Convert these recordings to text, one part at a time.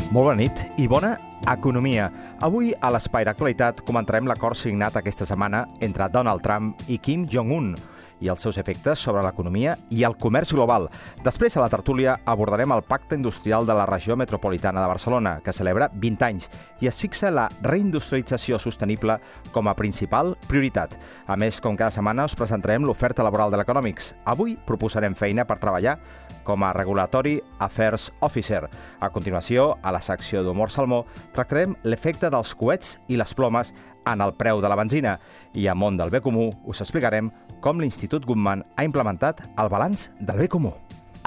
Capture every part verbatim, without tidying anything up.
Molt bona nit i bona economia. Avui, a l'Espai d'Actualitat, comentarem l'acord signat aquesta setmana entre Donald Trump i Kim Jong-un i els seus efectes sobre l'economia i el comerç global. Després, a la tertúlia, abordarem el Pacte Industrial de la Regió Metropolitana de Barcelona, que celebra vint anys, i es fixa la reindustrialització sostenible com a principal prioritat. A més, com cada setmana, us presentarem l'oferta laboral de l'Economics. Avui proposarem feina per treballar com a Regulatory Affairs Officer. A continuació, a la secció d'Humor Salmó, tractarem l'efecte dels coets i les plomes en el preu de la benzina. I a Món del Bé Comú us explicarem com l'Institut Guttmann ha implementat el balanç del bé comú.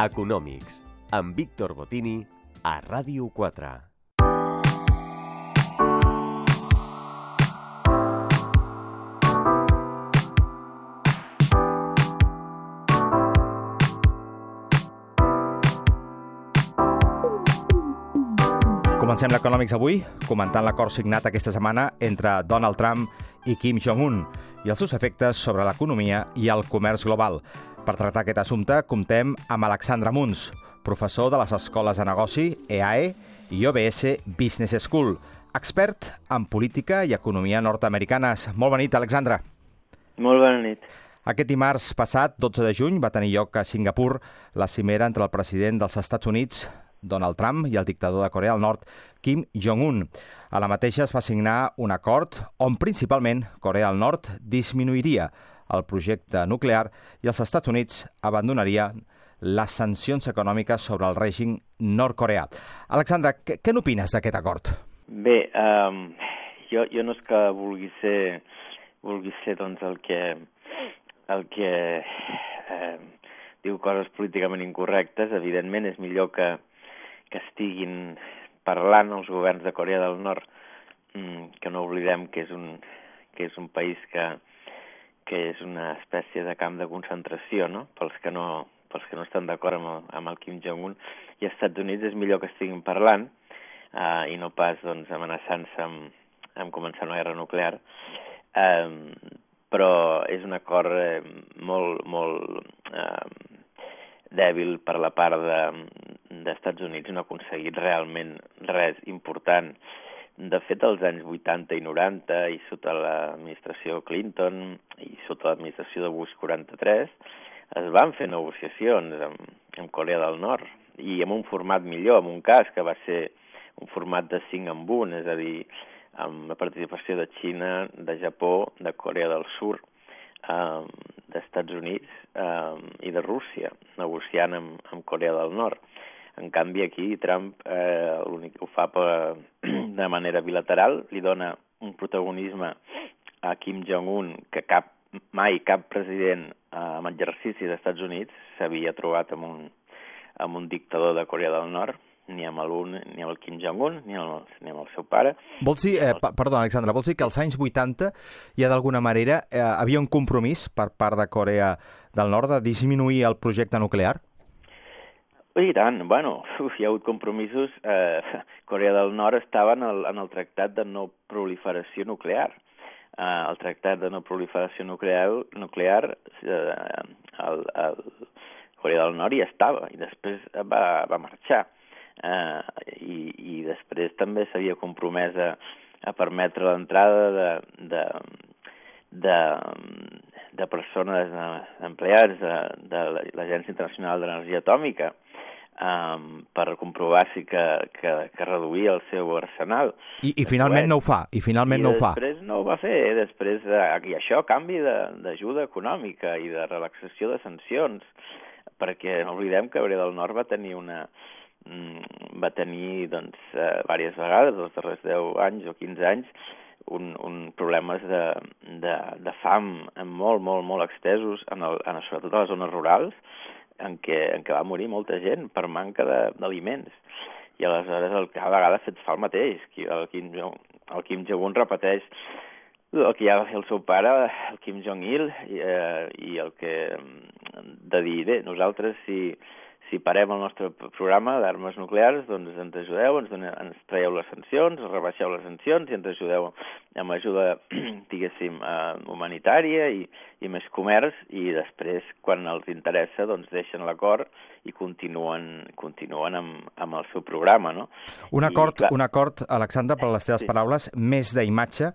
Economics, amb Víctor Botini, a Ràdio quatre. Comencem l'Economics avui comentant l'acord signat aquesta setmana entre Donald Trump i Kim Jong-un i els seus efectes sobre l'economia i el comerç global. Per tractar aquest assumpte, comptem amb Alexandre Muns, professor de les escoles de negoci E A E i O B S Business School, expert en política i economia nord-americanes. Molt bona nit, Alexandre. Molt bona nit. Aquest dimarts passat, dotze de juny, va tenir lloc a Singapur la cimera entre el president dels Estats Units, Donald Trump, i el dictador de Corea del Nord, Kim Jong-un. A la mateixa es va signar un acord on principalment Corea del Nord disminuiria el projecte nuclear i els Estats Units abandonarien les sancions econòmiques sobre el règim nord-coreà. Alexandre, què, què n'opines d'aquest acord? Bé, um, jo, jo no és que vulgui ser, vulgui ser doncs, el que, el que eh, diu coses políticament incorrectes. Evidentment és millor que que estiguin parlant els governs de Corea del Nord, que no oblidem que és un, que és un país que, que és una espècie de camp de concentració, no? Pels que no, pels que no estan d'acord amb, el, amb el Kim Jong-un. I als Estats Units és millor que estiguin parlant eh, i no pas doncs, amenaçant-se amb, amb començar una guerra nuclear. Eh, però és un acord eh, molt, molt eh, dèbil per la part de, d'Estats Units. No ha aconseguit realment res important. De fet, als anys vuitanta i noranta, i sota l'administració Clinton, i sota l'administració de Bush quaranta-tres, es van fer negociacions amb, amb Corea del Nord, i amb un format millor, en un cas que va ser un format de cinc en un, és a dir, amb la participació de Xina, de Japó, de Corea del Sud, Um, d'Estats Units um, i de Rússia, negociant amb, amb Corea del Nord. En canvi, aquí Trump eh, l'únic que ho fa per, de manera bilateral, li dona un protagonisme a Kim Jong-un que cap, mai cap president eh, amb exercici dels Estats Units s'havia trobat amb un, amb un dictador de Corea del Nord, ni amb l'un, ni amb el Kim Jong-un, ni amb, el, ni amb el seu pare. Vols dir, eh, perdó, Alexandre, vols dir que als anys vuitanta ja d'alguna manera eh, havia un compromís per part de Corea del Nord de disminuir el projecte nuclear? I tant, bueno, uf, hi ha hagut compromisos. Eh, Corea del Nord estava en el, en el tractat de no proliferació nuclear. Eh, el tractat de no proliferació nuclear, nuclear eh, el, el Corea del Nord hi estava i després va, va marxar. Uh, i, i després també s'havia compromès a, a permetre l'entrada de, de, de, de persones, d'empleats de, de l'Agència Internacional d'Energia Atòmica um, per comprovar si que, que, que reduïa el seu arsenal. I, i finalment no ho fa, i finalment I no ho fa. després no ho va fer, eh? Després, eh, i això a canvi d'ajuda econòmica i de relaxació de sancions, perquè no oblidem que Corea del Nord va tenir una va tenir doncs, eh, diverses vegades, els darrers deu anys o quinze anys, un, un problemes de, de, de fam molt, molt, molt extesos, en el, en, sobretot a les zones rurals, en què, en què va morir molta gent per manca d'aliments. I aleshores el, cada vegada ha fet fa el mateix. El Kim, el Kim Jong-un repeteix el que ja va fer el seu pare, el Kim Jong-il, i, eh, i el que de dir, bé, nosaltres si si parem el nostre programa d'armes nuclears, doncs ens ajudeu, ens, doneu, ens traieu les sancions, rebaixeu les sancions i ens ajudeu amb ajuda, diguéssim, eh, humanitària i, i més comerç, i després, quan els interessa, doncs deixen l'acord i continuen, continuen amb, amb el seu programa, no? Un acord, I, clar, un acord, Alexandre, per les teves sí. paraules, més d'imatge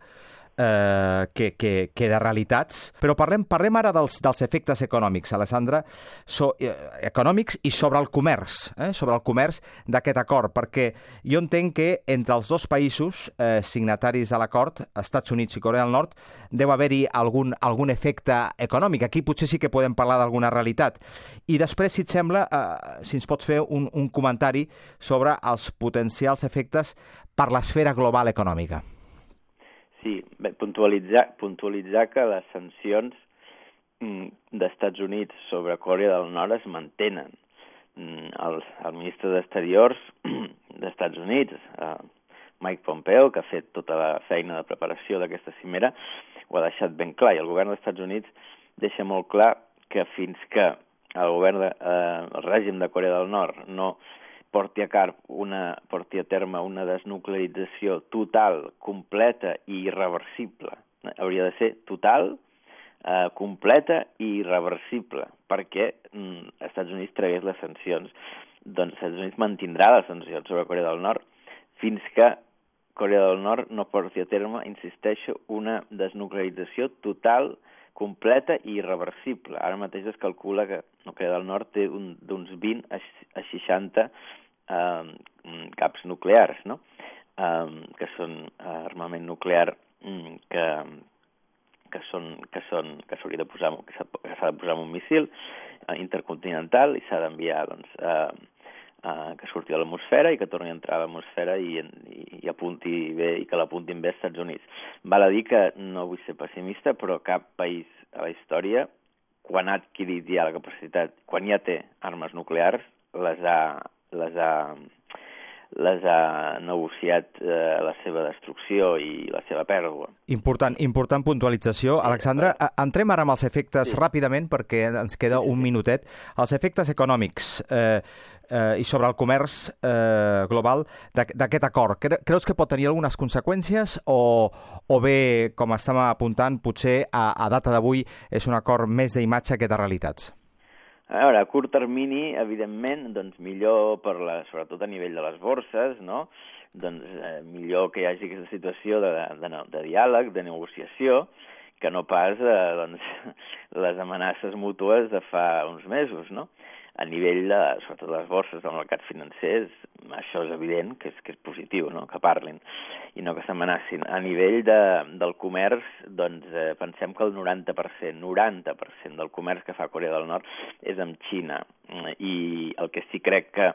eh, que, que, que de realitats. Però parlem, parlem ara dels, dels efectes econòmics, Alexandre, so, eh, econòmics i sobre el comerç, eh, sobre el comerç d'aquest acord, perquè jo entenc que entre els dos països eh, signataris de l'acord, Estats Units i Corea del Nord, deu haver-hi algun, algun efecte econòmic. Aquí potser sí que podem parlar d'alguna realitat. I després, si et sembla, eh, si ens pots fer un, un comentari sobre els potencials efectes per l'esfera global econòmica. Sí, bé, puntualitzar, puntualitzar que les sancions mm, d'Estats Units sobre Corea del Nord es mantenen. Mm, el, el ministre d'Exteriors d'Estats Units, eh, Mike Pompeo, que ha fet tota la feina de preparació d'aquesta cimera, ho ha deixat ben clar, i el govern dels Estats Units deixa molt clar que fins que el govern de, eh, el règim de Corea del Nord no porti a, car una, porti a terme una desnuclearització total, completa i irreversible. Hauria de ser total, eh, completa i irreversible, perquè mm, els Estats Units tragués les sancions. Doncs els Estats Units mantindrà les sancions sobre Corea del Nord fins que Corea del Nord no porti a terme, insisteixo, una desnuclearització total, completa i irreversible. Ara mateix es calcula que Corea del Nord té un, d'uns vint a seixanta eh, caps nuclears, no? eh, que són armament nuclear que, que són que són que s'hauria de posar que s'ha de posar en un missil intercontinental i s'ha d'enviar, doncs, eh, eh, que surti de l'atmosfera i que torni a entrar a l'atmosfera i, i, i apunti bé, i que l'apuntin bé als Estats Units. Val a dir que no vull ser pessimista, però cap país a la història, quan ha adquirit ja la capacitat, quan ja té armes nuclears, les ha, les ha, les ha negociat eh, la seva destrucció i la seva pèrdua. Important, important puntualització. Alexandre, entrem ara amb els efectes sí. ràpidament, perquè ens queda un minutet. Els efectes econòmics eh, eh, i sobre el comerç eh, global d'aquest acord. Creus que pot tenir algunes conseqüències o, o bé, com estem apuntant, potser a, a data d'avui és un acord més d'imatge que de realitats? A veure, a curt termini, evidentment, doncs millor, per la, sobretot a nivell de les borses, no? Doncs eh, millor que hi hagi aquesta situació de, de, de diàleg, de negociació, que no pas eh, doncs, les amenaces mútues de fa uns mesos, no? A nivell, de, sobretot de les borses del mercat financer, això és evident que és, que és positiu, no? Que parlin i no que s'amenacin. A nivell de, del comerç, doncs eh, pensem que el noranta per cent, noranta per cent del comerç que fa Corea del Nord és amb Xina. I el que sí crec que,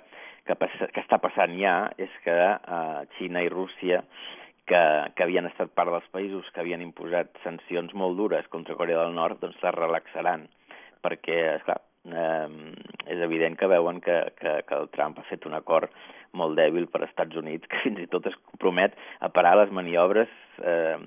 que, passa, que està passant ja és que eh, Xina i Rússia, que, que havien estat part dels països que havien imposat sancions molt dures contra Corea del Nord, doncs les relaxaran, perquè, esclar, Eh, és evident que veuen que, que, que el Trump ha fet un acord molt dèbil per als Estats Units, que fins i tot es compromet a parar les maniobres eh,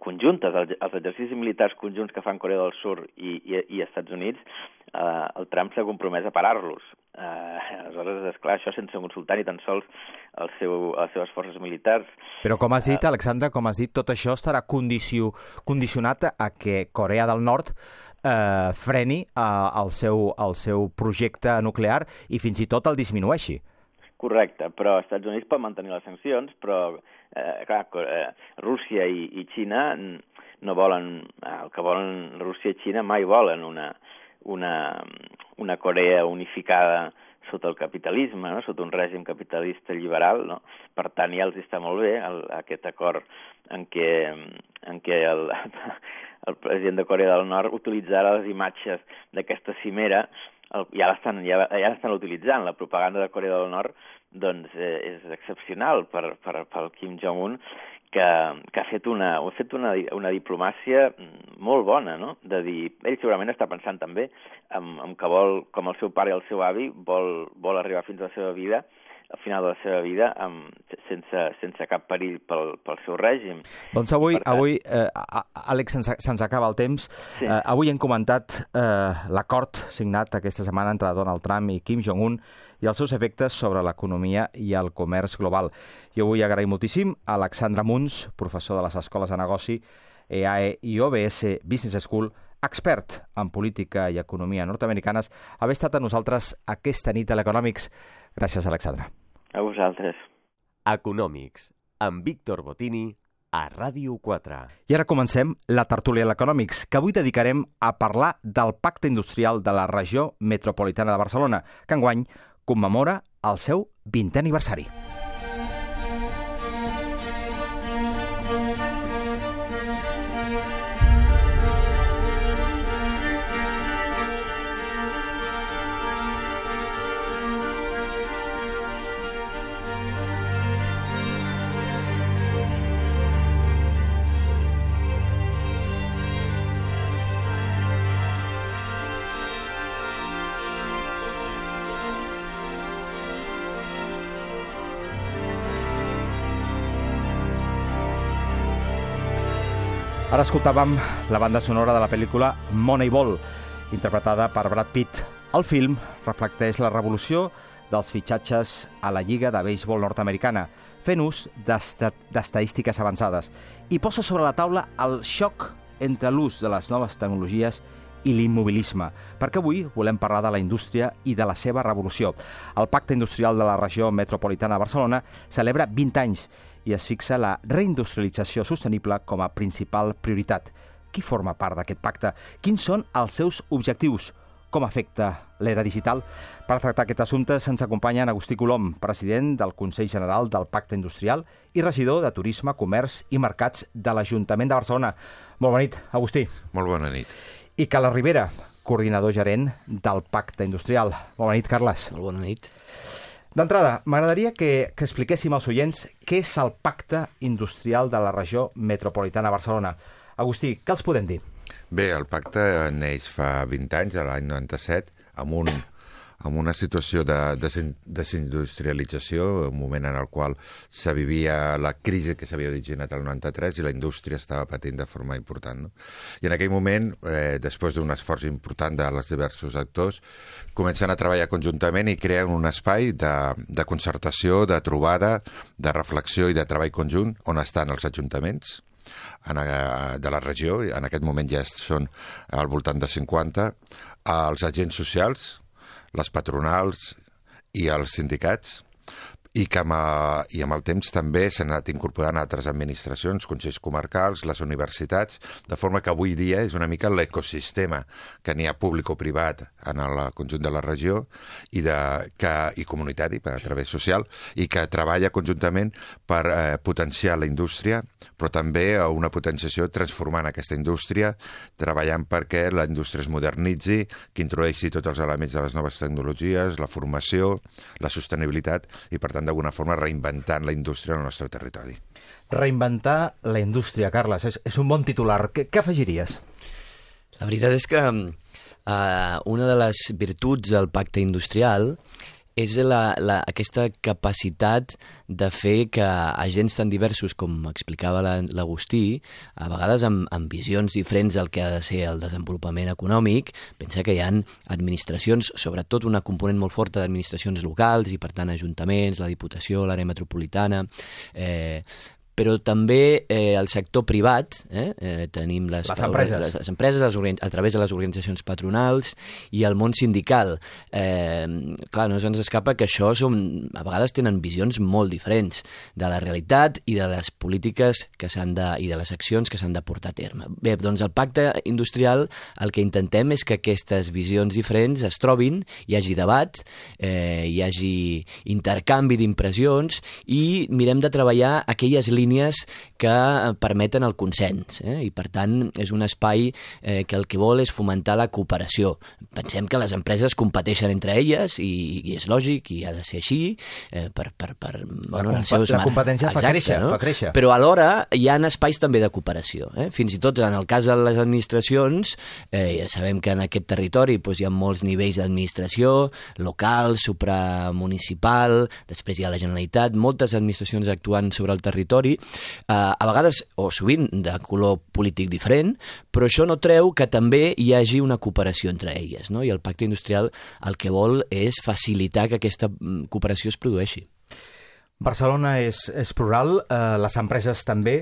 conjuntes, els, els exercicis militars conjunts que fan Corea del Sud i, i, i Estats Units. Eh, el Trump s'ha compromès a parar-los. Eh, aleshores, esclar, això sense consultar ni tan sols el seu, les seves forces militars. Però com has dit, Alexandre, com has dit, tot això estarà condicio, condicionat a que Corea del Nord eh, freni eh, el, seu, el seu projecte nuclear i fins i tot el disminueixi. Correcte, però els Estats Units pot mantenir les sancions, però eh, clar, eh, Rússia i, i Xina no volen, el que volen Rússia i Xina mai volen una, una, una Corea unificada sota el capitalisme, no? Sota un règim capitalista liberal, no? Per tant, ja els està molt bé el, aquest acord en què, en què el, el president de Corea del Nord utilitzarà les imatges d'aquesta cimera. El, ja l'estan ja, ja l'estan utilitzant, la propaganda de Corea del Nord doncs eh, és excepcional per, per, per Kim Jong-un, que, que ha fet, una, ha fet una, una diplomàcia molt bona, no? De dir, ell segurament està pensant també en, en que vol, com el seu pare i el seu avi, vol, vol arribar fins a la seva vida al final de la seva vida um, sense, sense cap perill pel, pel seu règim. Doncs avui, tant... avui eh, Àlex, se'ns, se'ns acaba el temps. Sí. Eh, avui hem comentat eh, l'acord signat aquesta setmana entre Donald Trump i Kim Jong-un i els seus efectes sobre l'economia i el comerç global. Jo vull agrair moltíssim a Alexandre Munz, professor de les Escoles de Negoci, E A E i O B S Business School, expert en política i economia nord-americanes, haver estat amb nosaltres aquesta nit a l'Economics. Gràcies, Alexandre. A vosaltres. Economics, amb Víctor Botini, a Ràdio quatre. I ara comencem la tertúlia a l'Economics, que avui dedicarem a parlar del Pacte Industrial de la Regió Metropolitana de Barcelona, que enguany commemora el seu vintè aniversari. Ara escoltàvem la banda sonora de la pel·lícula Moneyball, interpretada per Brad Pitt. El film reflecteix la revolució dels fitxatges a la Lliga de Béisbol nord-americana, fent ús d'estadístiques avançades, i posa sobre la taula el xoc entre l'ús de les noves tecnologies i l'immobilisme, perquè avui volem parlar de la indústria i de la seva revolució. El Pacte Industrial de la Regió Metropolitana de Barcelona celebra vint anys i es fixa la reindustrialització sostenible com a principal prioritat. Qui forma part d'aquest pacte? Quins són els seus objectius? Com afecta l'era digital? Per tractar aquests assumptes ens acompanyen Agustí Colom, president del Consell General del Pacte Industrial i regidor de Turisme, Comerç i Mercats de l'Ajuntament de Barcelona. Molt bona nit, Agustí. Molt bona nit. I Carles Rivera, coordinador gerent del Pacte Industrial. Molt bona nit, Carles. Molt bona nit. D'entrada, m'agradaria que, que expliquéssim als oients què és el Pacte Industrial de la Regió Metropolitana de Barcelona. Agustí, què els podem dir? Bé, el pacte neix fa vint anys, a l'any noranta-set, amb, un, amb una situació de desindustrialització, un moment en el qual se vivia la crisi que s'havia originat al noranta-tres i la indústria estava patint de forma important. No? I en aquell moment, eh, després d'un esforç important dels diversos actors, comencen a treballar conjuntament i creen un espai de, de concertació, de trobada, de reflexió i de treball conjunt on estan els ajuntaments en, de la regió, en aquest moment ja són al voltant de cinquanta, els agents socials, les patronals i els sindicats, i que amb, i amb el temps també s'han anat incorporant altres administracions, consells comarcals, les universitats, de forma que avui dia és una mica l'ecosistema que n'hi ha públic o privat en el conjunt de la regió i, de, que, i comunitari, a través social, i que treballa conjuntament per eh, potenciar la indústria, però també una potenciació transformant aquesta indústria, treballant perquè la indústria es modernitzi, que introdueixi tots els elements de les noves tecnologies, la formació, la sostenibilitat i, per tant, d'alguna forma reinventant la indústria al nostre territori. Reinventar la indústria, Carles, és, és un bon titular. Què, què afegiries? La veritat és que uh, una de les virtuts del pacte industrial és la, la, aquesta capacitat de fer que agents tan diversos, com explicava l'Agustí, a vegades amb, amb visions diferents del que ha de ser el desenvolupament econòmic. Pensa que hi ha administracions, sobretot una component molt forta d'administracions locals i, per tant, ajuntaments, la Diputació, l'àrea metropolitana, eh, però també eh, el sector privat, eh, eh, tenim les, les empreses, les, les empreses les, a través de les organitzacions patronals i el món sindical. Eh, clar, no se'ns escapa que això són, a vegades tenen visions molt diferents de la realitat i de les polítiques que s'han de, i de les accions que s'han de portar a terme. Bé, doncs el pacte industrial el que intentem és que aquestes visions diferents es trobin, hi hagi debat, eh, hi hagi intercanvi d'impressions i mirem de treballar aquelles línies línies que permeten el consens, eh? I per tant és un espai eh, que el que vol és fomentar la cooperació. Pensem que les empreses competeixen entre elles i, i és lògic i ha de ser així eh, per, per, per, bueno, la, comp la competència Exacte, fa créixer, no? fa créixer. Però alhora hi ha espais també de cooperació. Eh? Fins i tot en el cas de les administracions, eh, ja sabem que en aquest territori doncs, hi ha molts nivells d'administració, local, supramunicipal, després hi ha la Generalitat, moltes administracions actuant sobre el territori, eh, a vegades o sovint de color polític diferent, però això no treu que també hi hagi una cooperació entre elles, no? I el pacte industrial el que vol és facilitar que aquesta cooperació es produeixi. Barcelona és, és plural, eh, les empreses també,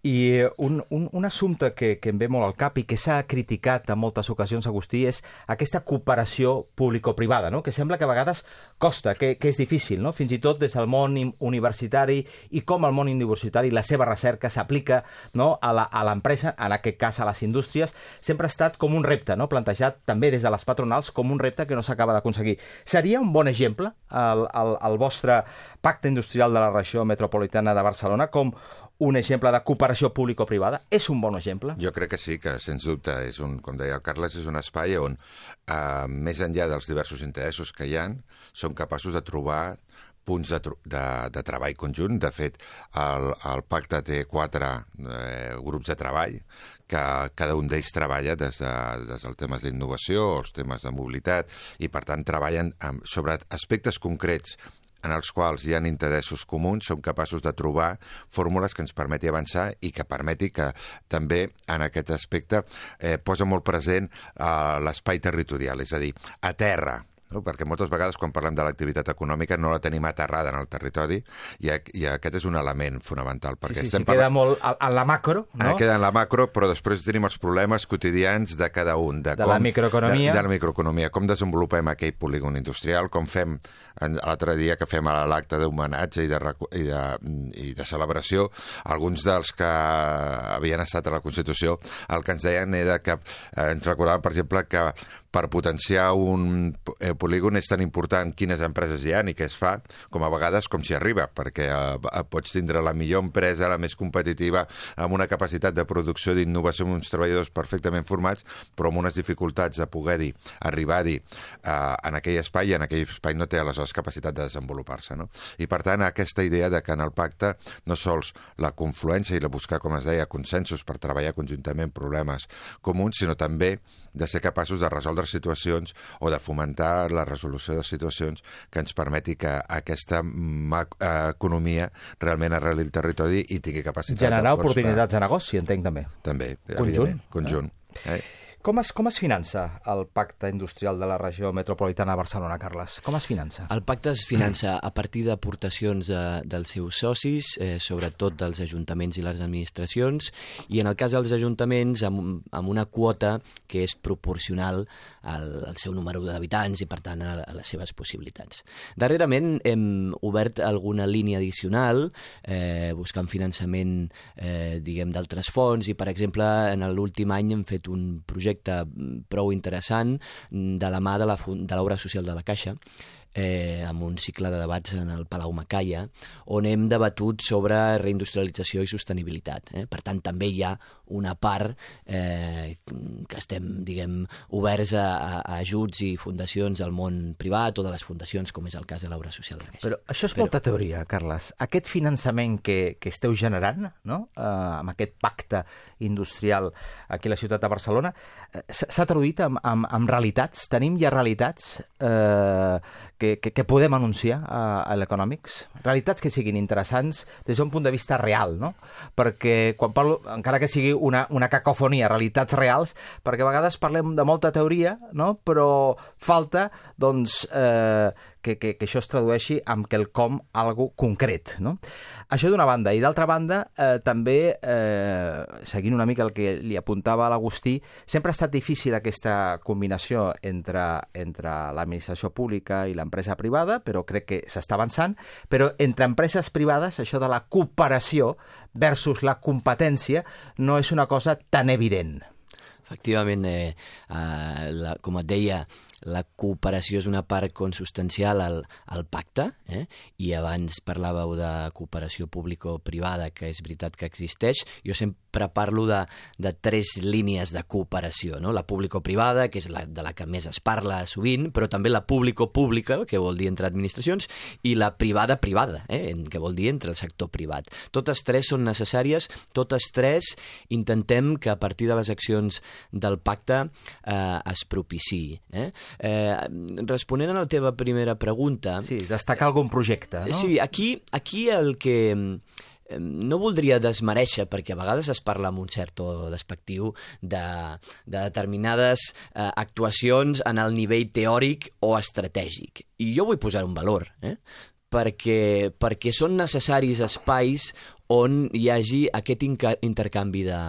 i un, un, un assumpte que, que em ve molt al cap i que s'ha criticat en moltes ocasions, Agustí, és aquesta cooperació público-privada, no? Que sembla que a vegades costa, que, que és difícil, no? Fins i tot des del món universitari i com el món universitari, la seva recerca s'aplica, no? a l'empresa, en aquest cas a les indústries, sempre ha estat com un repte, no? Plantejat també des de les patronals com un repte que no s'acaba d'aconseguir. Seria un bon exemple el, el, el vostre pacte industrial de la regió metropolitana de Barcelona com un exemple de cooperació público-privada? És un bon exemple? Jo crec que sí, que sens dubte és un, com deia el Carles, és un espai on, eh, més enllà dels diversos interessos que hi ha, som capaços de trobar punts de, de, de treball conjunt. De fet, el, el pacte té quatre eh, grups de treball, que cada un d'ells treballa des, de, des dels temes d'innovació, els temes de mobilitat, i per tant treballen amb, sobre aspectes concrets en els quals hi ha interessos comuns, som capaços de trobar fórmules que ens permeti avançar i que permeti que també en aquest aspecte eh, posa molt present eh, l'espai territorial, és a dir, a terra, no? Perquè moltes vegades quan parlem de l'activitat econòmica no la tenim aterrada en el territori i, i aquest és un element fonamental. Perquè sí, sí, estem sí, queda molt en la macro, no? Eh, queda en la macro, però després tenim els problemes quotidians de cada un. De, de com, la microeconomia. De, de la microeconomia, com desenvolupem aquell polígon industrial, com fem l'altre dia que fem l'acte d'homenatge i, de, i, de, i de celebració, alguns dels que havien estat a la Constitució, el que ens deien era que eh, ens recordaven, per exemple, que per potenciar un eh, polígon és tan important quines empreses hi ha i què es fa, com a vegades com s'hi arriba, perquè eh, pots tindre la millor empresa, la més competitiva, amb una capacitat de producció d'innovació, amb uns treballadors perfectament formats, però amb unes dificultats de poder-hi, arribar-hi eh, en aquell espai, i en aquell espai no té aleshores capacitat de desenvolupar-se, no? I per tant, aquesta idea de que en el pacte no sols la confluència i la buscar, com es deia, consensos per treballar conjuntament problemes comuns, sinó també de ser capaços de resoldre situacions o de fomentar la resolució de situacions que ens permeti que aquesta economia realment arreli el territori i tingui capacitat generar de oportunitats de negoci, entenc també. També, conjunt. Conjunt. Eh? Com es, com es finança el pacte industrial de la regió metropolitana de Barcelona, Carles? Com es finança? El pacte es finança a partir d'aportacions de, dels seus socis, eh, sobretot dels ajuntaments i les administracions, i en el cas dels ajuntaments amb, amb una quota que és proporcional al, al seu número d'habitants i, per tant, a, a les seves possibilitats. Darrerament hem obert alguna línia addicional, eh, buscant finançament eh, diguem d'altres fons, i, per exemple, en l'últim any hem fet un projecte prou interessant de la mà de l'obra social de la Caixa, eh, amb un cicle de debats en el Palau Macaya, on hem debatut sobre reindustrialització i sostenibilitat. Eh? Per tant, també hi ha una part eh, que estem, diguem, oberts a, a ajuts i fundacions del món privat o de les fundacions, com és el cas de l'obra social de la Caixa. Però això és Però... molta teoria, Carles. Aquest finançament que, que esteu generant, no? eh, amb aquest pacte industrial aquí a la ciutat de Barcelona, eh, s'ha traduït en, en, en realitats? Tenim ja realitats eh, que, que, que podem anunciar a, a l'Economics? Realitats que siguin interessants des d'un punt de vista real, no? Perquè quan parlo, encara que sigui una, una cacofonia, realitats reals, perquè a vegades parlem de molta teoria, no? Però falta, doncs, eh, que, que, que això es tradueixi amb quelcom, algo concret, no? Això d'una banda. I d'altra banda, eh, també, eh, seguint una mica el que li apuntava l'Agustí, sempre ha estat difícil aquesta combinació entre, entre l'administració pública i l'empresa privada, però crec que s'està avançant, però entre empreses privades, això de la cooperació versus la competència no és una cosa tan evident. Efectivament, eh, eh, la, com et deia, la cooperació és una part consubstancial al, al pacte, eh? I abans parlàveu de cooperació público-privada, que és veritat que existeix. Jo sempre parlo de, de tres línies de cooperació, no? La público-privada, que és la de la que més es parla sovint, però també la público-pública, que vol dir entre administracions, i la privada-privada, eh? Que vol dir entre el sector privat. Totes tres són necessàries, totes tres intentem que a partir de les accions del pacte eh, es propiciï. Eh? Eh, responent a la teva primera pregunta... Sí, destacar algun projecte, no? Sí, aquí, aquí el que... No voldria desmereixer, perquè a vegades es parla amb un cert to despectiu de, de determinades eh, actuacions en el nivell teòric o estratègic. I jo vull posar un valor, eh? perquè, perquè són necessaris espais on hi hagi aquest intercanvi de,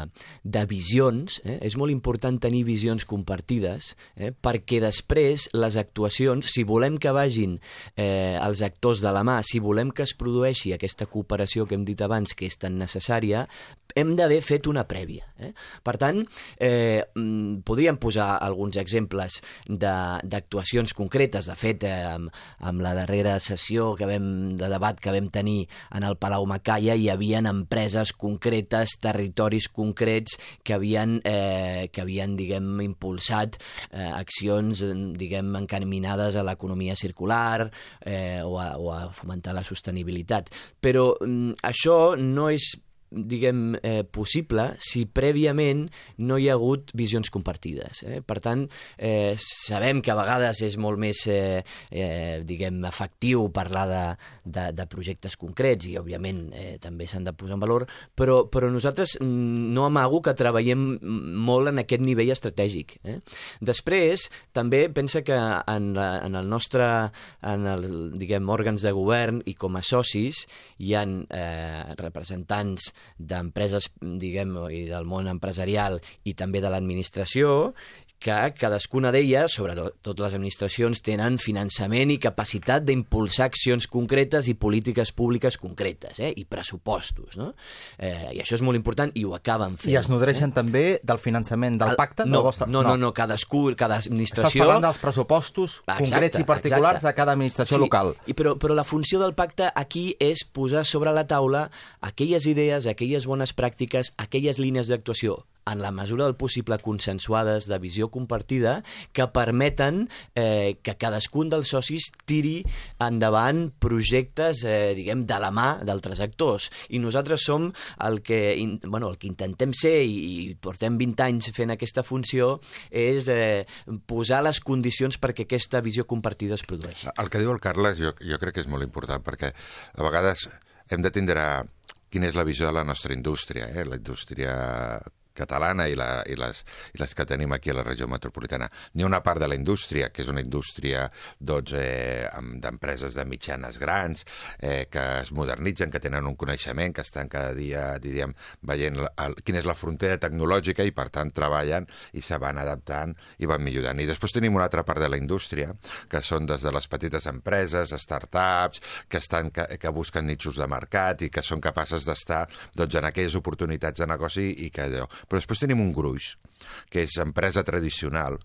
de visions. Eh? És molt important tenir visions compartides, eh? perquè després les actuacions, si volem que vagin eh, els actors de la mà, si volem que es produeixi aquesta cooperació que hem dit abans, que és tan necessària, hem d'haver fet una prèvia. Eh? Per tant, eh, podríem posar alguns exemples d'actuacions concretes. De fet, eh, amb, amb la darrera sessió que vam, de debat que vam tenir en el Palau Macaya, hi havia empreses concretes, territoris concrets que havien, eh, que havien diguem, impulsat eh, accions diguem, encaminades a l'economia circular eh, o, a, o a fomentar la sostenibilitat. Però mm, això no és diguem, eh, possible si prèviament no hi ha hagut visions compartides. Eh? Per tant, eh, sabem que a vegades és molt més eh, eh, diguem, efectiu parlar de, de, de projectes concrets i, òbviament, eh, també s'han de posar en valor, però, però nosaltres no amago que treballem molt en aquest nivell estratègic. Eh? Després, també pensa que en, la, en el nostre en el, diguem, òrgans de govern i com a socis hi ha eh, representants d'empreses, diguem, i del món empresarial i també de l'administració, que cadascuna d'elles, sobretot les administracions, tenen finançament i capacitat d'impulsar accions concretes i polítiques públiques concretes, eh? I pressupostos, no? Eh, I això és molt important i ho acaben fent. I es nodreixen eh? també del finançament del pacte? No, vostre... no, no, no, cadascú, cada administració... Estàs parlant dels pressupostos exacte, concrets i particulars exacte. De cada administració sí, local. I però, però la funció del pacte aquí és posar sobre la taula aquelles idees, aquelles bones pràctiques, aquelles línies d'actuació en la mesura del possible consensuades, de visió compartida, que permeten eh, que cadascun dels socis tiri endavant projectes, eh, diguem, de la mà d'altres actors. I nosaltres som el que, in, bueno, el que intentem ser, i, i portem vint anys fent aquesta funció, és eh, posar les condicions perquè aquesta visió compartida es produeixi. El que diu el Carles jo, jo crec que és molt important, perquè a vegades hem de tindre quina és la visió de la nostra indústria, eh? La indústria catalana i, la, i, les, i les que tenim aquí a la regió metropolitana. N'hi ha una part de la indústria, que és una indústria doncs, eh, d'empreses de mitjanes grans, eh, que es modernitzen, que tenen un coneixement, que estan cada dia, diríem, veient el, el, quina és la frontera tecnològica i, per tant, treballen i se van adaptant i van millorant. I després tenim una altra part de la indústria, que són des de les petites empreses, startups, que, estan, que, que busquen nichos de mercat i que són capaces d'estar doncs, en aquelles oportunitats de negoci i que allò... Però després tenim un gruix, que és empresa tradicional,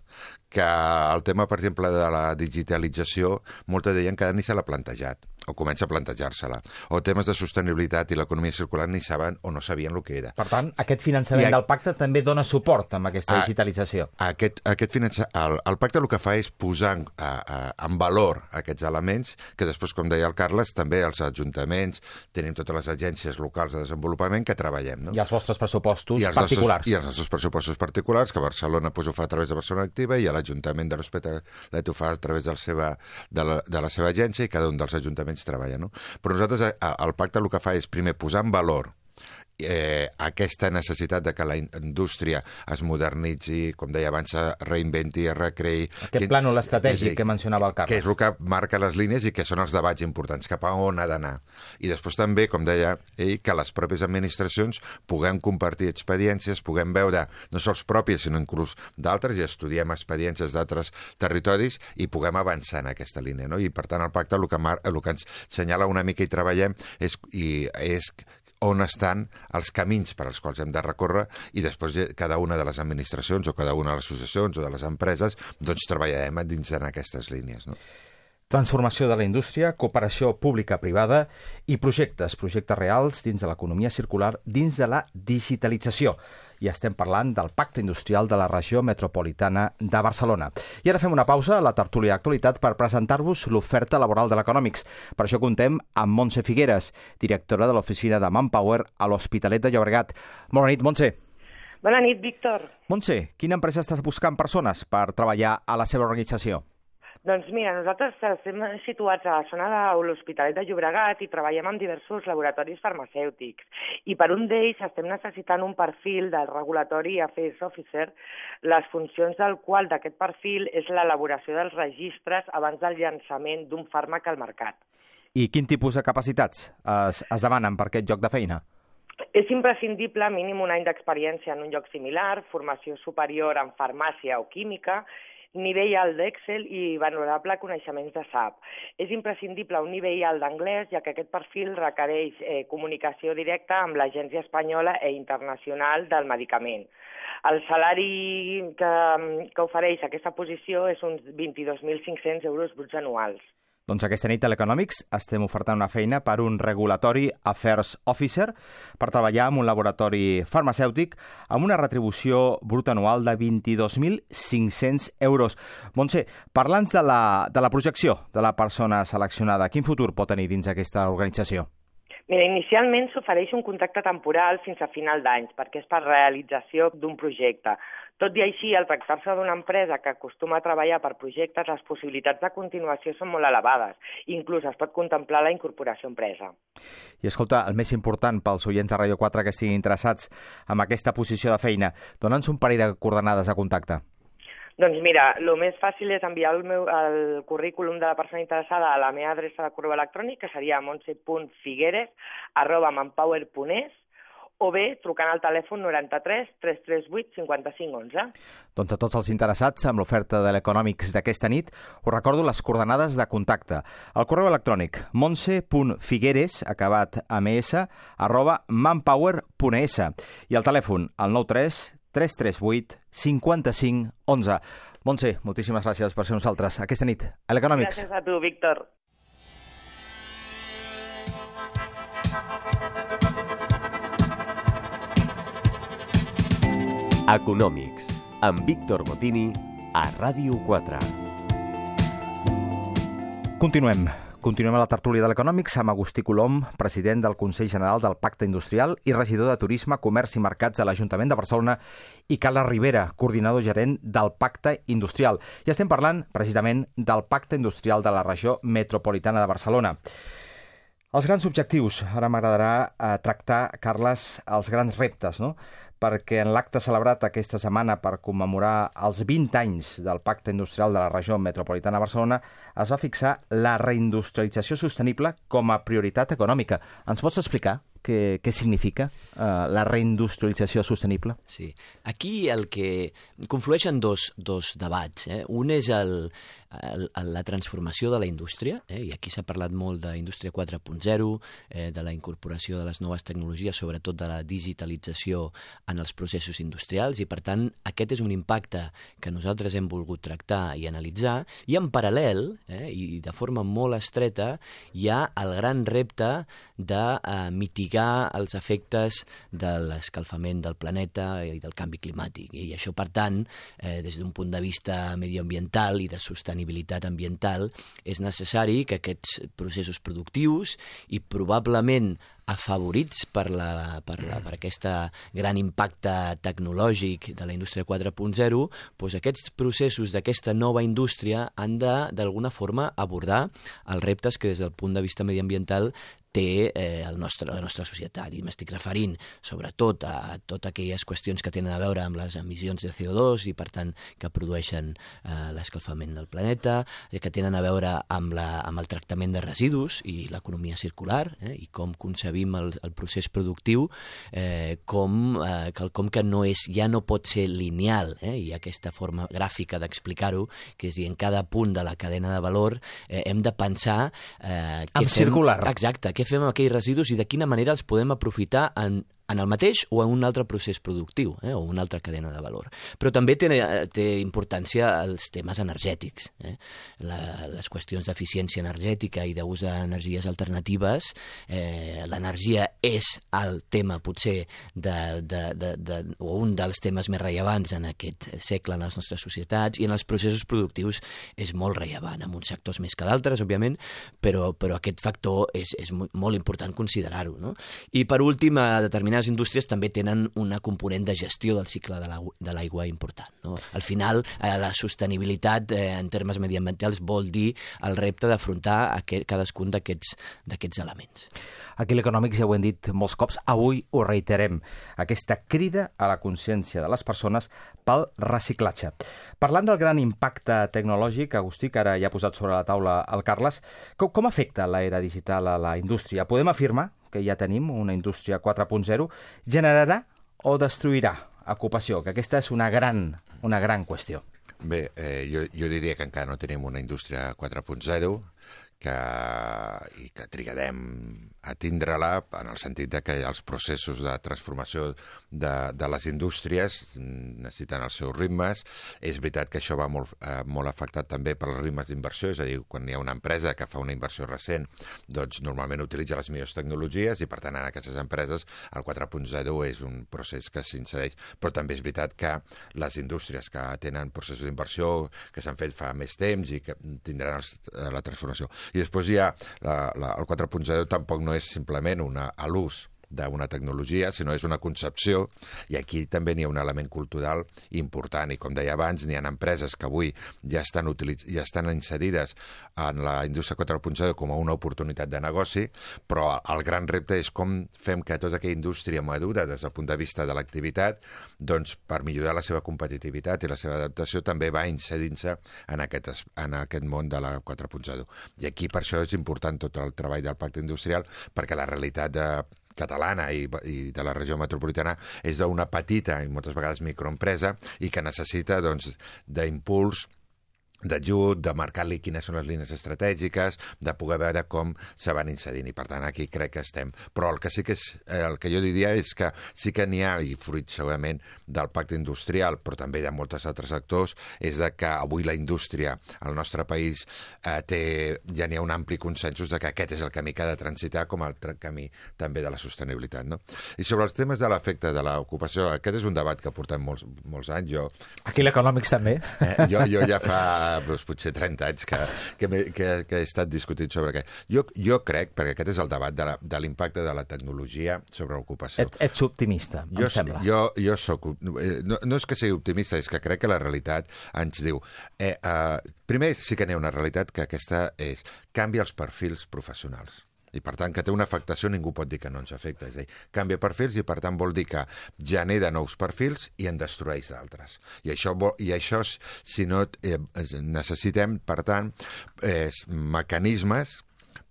que el tema, per exemple, de la digitalització, moltes deien que ni se l'ha plantejat, o comença a plantejar-se-la, o temes de sostenibilitat i l'economia circular ni saben o no sabien el que era. Per tant, aquest finançament a... del pacte també dona suport amb aquesta a... digitalització. Aquest, aquest finança... el, el pacte el que fa és posar en, a, a, en valor aquests elements, que després, com deia el Carles, també els ajuntaments, tenim totes les agències locals de desenvolupament que treballem. No? I els vostres pressupostos I els particulars. Nostres, I els nostres pressupostos particulars, que Barcelona pues, ho fa a través de Barcelona Activa i l'Ajuntament de l'Hospitalet ho fa a través del seva, de, la, de la seva agència i cada un dels ajuntaments treballa. No? Però nosaltres, el pacte el que fa és primer posar en valor Eh, aquesta necessitat de que la indústria es modernitzi, com deia abans, es reinventi, es recreï... Aquest plànol estratègic que mencionava el Carles. Que és el que marca les línies i que són els debats importants, cap a on ha d'anar. I després també, com deia ell, que les pròpies administracions puguem compartir experiències, puguem veure no sols pròpies, sinó inclús d'altres, i estudiem experiències d'altres territoris i puguem avançar en aquesta línia. No? I, per tant, el pacte el que, mar... el que ens senyala una mica i treballem és, i és on estan els camins per als quals hem de recórrer i després cada una de les administracions o cada una de les associacions o de les empreses doncs treballarem dins en aquestes línies, no? Transformació de la indústria, cooperació pública-privada i projectes, projectes reals dins de l'economia circular, dins de la digitalització. I estem parlant del Pacte Industrial de la Regió Metropolitana de Barcelona. I ara fem una pausa a la tertúlia d'actualitat per presentar-vos l'oferta laboral de l'Economics. Per això contem amb Montse Figueres, directora de l'oficina de Manpower a l'Hospitalet de Llobregat. Bona nit, Montse. Bona nit, Víctor. Montse, quina empresa estàs buscant persones per treballar a la seva organització? Doncs mira, nosaltres estem situats a la zona de l'Hospitalet de Llobregat i treballem amb diversos laboratoris farmacèutics. I per un d'ells estem necessitant un perfil del Regulatory Affairs Officer, les funcions del qual d'aquest perfil és l'elaboració dels registres abans del llançament d'un fàrmac al mercat. I quin tipus de capacitats es, es demanen per aquest lloc de feina? És imprescindible mínim un any d'experiència en un lloc similar, formació superior en farmàcia o química, nivell alt d'Excel i valorable coneixements de S A P. És imprescindible un nivell alt d'anglès, ja que aquest perfil requereix eh, comunicació directa amb l'Agència Espanyola i Internacional del Medicament. El salari que, que ofereix aquesta posició és uns vint-i-dos mil cinc-cents euros bruts anuals. Doncs aquesta nit a l'Economics estem ofertant una feina per un Regulatory Affairs Officer per treballar en un laboratori farmacèutic amb una retribució bruta anual de vint-i-dos mil cinc-cents euros. Montse, parla'ns de la, de la projecció de la persona seleccionada. Quin futur pot tenir dins aquesta organització? Mira, inicialment s'ofereix un contracte temporal fins a final d'any, perquè és per realització d'un projecte. Tot i així, al tractar-se d'una empresa que acostuma a treballar per projectes, les possibilitats de continuació són molt elevades. Inclús es pot contemplar la incorporació a empresa. I escolta, el més important pels oients de Ràdio quatre que estiguin interessats en aquesta posició de feina, dona'ns un parell de coordenades de contacte. Doncs mira, el més fàcil és enviar el, meu, el currículum de la persona interessada a la meva adreça de correu electrònic, que seria montse punt figueres arroba manpower punt es, o bé trucant al telèfon noranta-tres tres tres vuit cinquanta-cinc onze. Doncs a tots els interessats amb l'oferta de l'Economics d'aquesta nit, us recordo les coordenades de contacte. El correu electrònic montse punt figueres, acabat amb es, arroba manpower punt es. I el telèfon, el nou tres tres tres vuit cinquanta-cinc onze. Montse, moltíssimes gràcies per ser nosaltres aquesta nit a l'Economics. Gràcies a tu, Víctor. Economics, amb Víctor Botini, a Ràdio quatre. Continuem. Continuem a la tertúlia de l'Economics amb Agustí Colom, president del Consell General del Pacte Industrial i regidor de Turisme, Comerç i Mercats a l'Ajuntament de Barcelona, i Carla Rivera, coordinador gerent del Pacte Industrial. I estem parlant precisament del Pacte Industrial de la Regió Metropolitana de Barcelona. Els grans objectius. Ara m'agradarà eh, tractar, Carles, els grans reptes, no? Perquè en l'acte celebrat aquesta setmana per commemorar els vint anys del Pacte Industrial de la Regió Metropolitana de Barcelona es va fixar la reindustrialització sostenible com a prioritat econòmica. Ens pots explicar què, què significa uh, la reindustrialització sostenible? Sí. Aquí el que conflueixen dos, dos debats. Eh? Un és el, el, la transformació de la indústria, eh? I aquí s'ha parlat molt d'indústria quatre punt zero, eh, de la incorporació de les noves tecnologies, sobretot de la digitalització en els processos industrials, i per tant aquest és un impacte que nosaltres hem volgut tractar i analitzar, i en paral·lel, eh, i de forma molt estreta, hi ha el gran repte de eh, mitigar els efectes de l'escalfament del planeta i del canvi climàtic. I això, per tant, eh, des d'un punt de vista medioambiental i de sostenibilitat ambiental, és necessari que aquests processos productius i probablement afavorits per, la, per, la, per aquesta gran impacte tecnològic de la indústria quatre punt zero, doncs aquests processos d'aquesta nova indústria han de, d'alguna forma, abordar els reptes que des del punt de vista mediambiental té eh, el nostre, la nostra societat. I m'estic referint sobretot a totes aquelles qüestions que tenen a veure amb les emissions de C O dos i, per tant, que produeixen eh, l'escalfament del planeta, que tenen a veure amb, la, amb el tractament de residus i l'economia circular, eh, i com concebim concebim el, el procés productiu eh, com eh, quelcom que no és, ja no pot ser lineal, eh? Hi ha aquesta forma gràfica d'explicar-ho, que és dir, en cada punt de la cadena de valor eh, hem de pensar eh, què en fem, circular. Exacte, què fem amb aquells residus i de quina manera els podem aprofitar en en el mateix o en un altre procés productiu, eh, o una altra cadena de valor. Però també té, té importància els temes energètics. Eh? La, les qüestions d'eficiència energètica i d'ús d'energies alternatives, eh, l'energia és el tema potser de, de, de, de, o un dels temes més rellevants en aquest segle en les nostres societats, i en els processos productius és molt rellevant, en uns sectors més que d'altres, òbviament, però, però aquest factor és, és molt important considerar-ho. No? I per últim, a determinades indústries també tenen una component de gestió del cicle de l'aigua important. No? Al final, eh, la sostenibilitat eh, en termes mediambientals vol dir el repte d'afrontar aquest, cadascun d'aquests elements. Aquí a l'Econòmics ja ho hem dit molts cops, avui ho reiterem, aquesta crida a la consciència de les persones pel reciclatge. Parlant del gran impacte tecnològic, Agustí, que ara ja ha posat sobre la taula el Carles, com, com afecta l'era digital a la indústria? Podem afirmar que ja tenim una indústria quatre punt zero, generarà o destruirà ocupació? Que aquesta és una gran, una gran qüestió. Bé, eh, jo, jo diria que encara no tenim una indústria quatre punt zero, que, i que trigarem a tindre-la en el sentit de que els processos de transformació de, de les indústries necessiten els seus ritmes. És veritat que això va molt, eh, molt afectat també per els ritmes d'inversió, és a dir, quan hi ha una empresa que fa una inversió recent, doncs normalment utilitza les millors tecnologies i per tant en aquestes empreses el quatre punt zero és un procés que s'incedeix. Però també és veritat que les indústries que tenen processos d'inversió que s'han fet fa més temps i que tindran els, la transformació. I després hi ha la, la, el quatre punt zero tampoc no és simplement una, a l'ús d'una tecnologia, sinó és una concepció, i aquí també n'hi ha un element cultural important, i com deia abans, n'hi ha empreses que avui ja estan, utilitz... ja estan inserides en la indústria quatre punt zero com a una oportunitat de negoci, però el gran repte és com fem que tota aquella indústria madura des del punt de vista de l'activitat, doncs per millorar la seva competitivitat i la seva adaptació també va inserint-se en aquest, en aquest món de la quatre punt zero. I aquí per això és important tot el treball del pacte industrial, perquè la realitat de catalana i, i de la regió metropolitana és d'una petita i moltes vegades microempresa i que necessita doncs, d'impuls, d'ajut, de marcar-li quines són les línies estratègiques, de poder veure com se van incidint, i per tant aquí crec que estem. Però el que sí que és, el que jo diria és que sí que n'hi ha, i fruit segurament del pacte industrial, però també de molts altres sectors, és de que avui la indústria al nostre país eh, té, ja n'hi ha un ampli consensos de que aquest és el camí que ha de transitar com el camí també de la sostenibilitat. No? I sobre els temes de l'efecte de l'ocupació, aquest és un debat que portem molts, molts anys. Jo, aquí l'Econòmics també. Eh, jo, jo ja fa doncs, potser trenta anys que, que, que, que he estat discutint sobre què. Jo, jo crec, perquè aquest és el debat de, la, de l'impacte de la tecnologia sobre l'ocupació. Ets, ets optimista, jo, em sembla. Jo, jo soc... No, no és que sigui optimista, és que crec que la realitat ens diu... Eh, eh, primer, sí que n'hi ha una realitat que aquesta és canvia els perfils professionals. I, per tant, que té una afectació, ningú pot dir que no ens afecta. És a dir, canvia perfils i, per tant, vol dir que genera nous perfils i en destrueix d'altres. I això, i això si no, eh, necessitem, per tant, eh, mecanismes,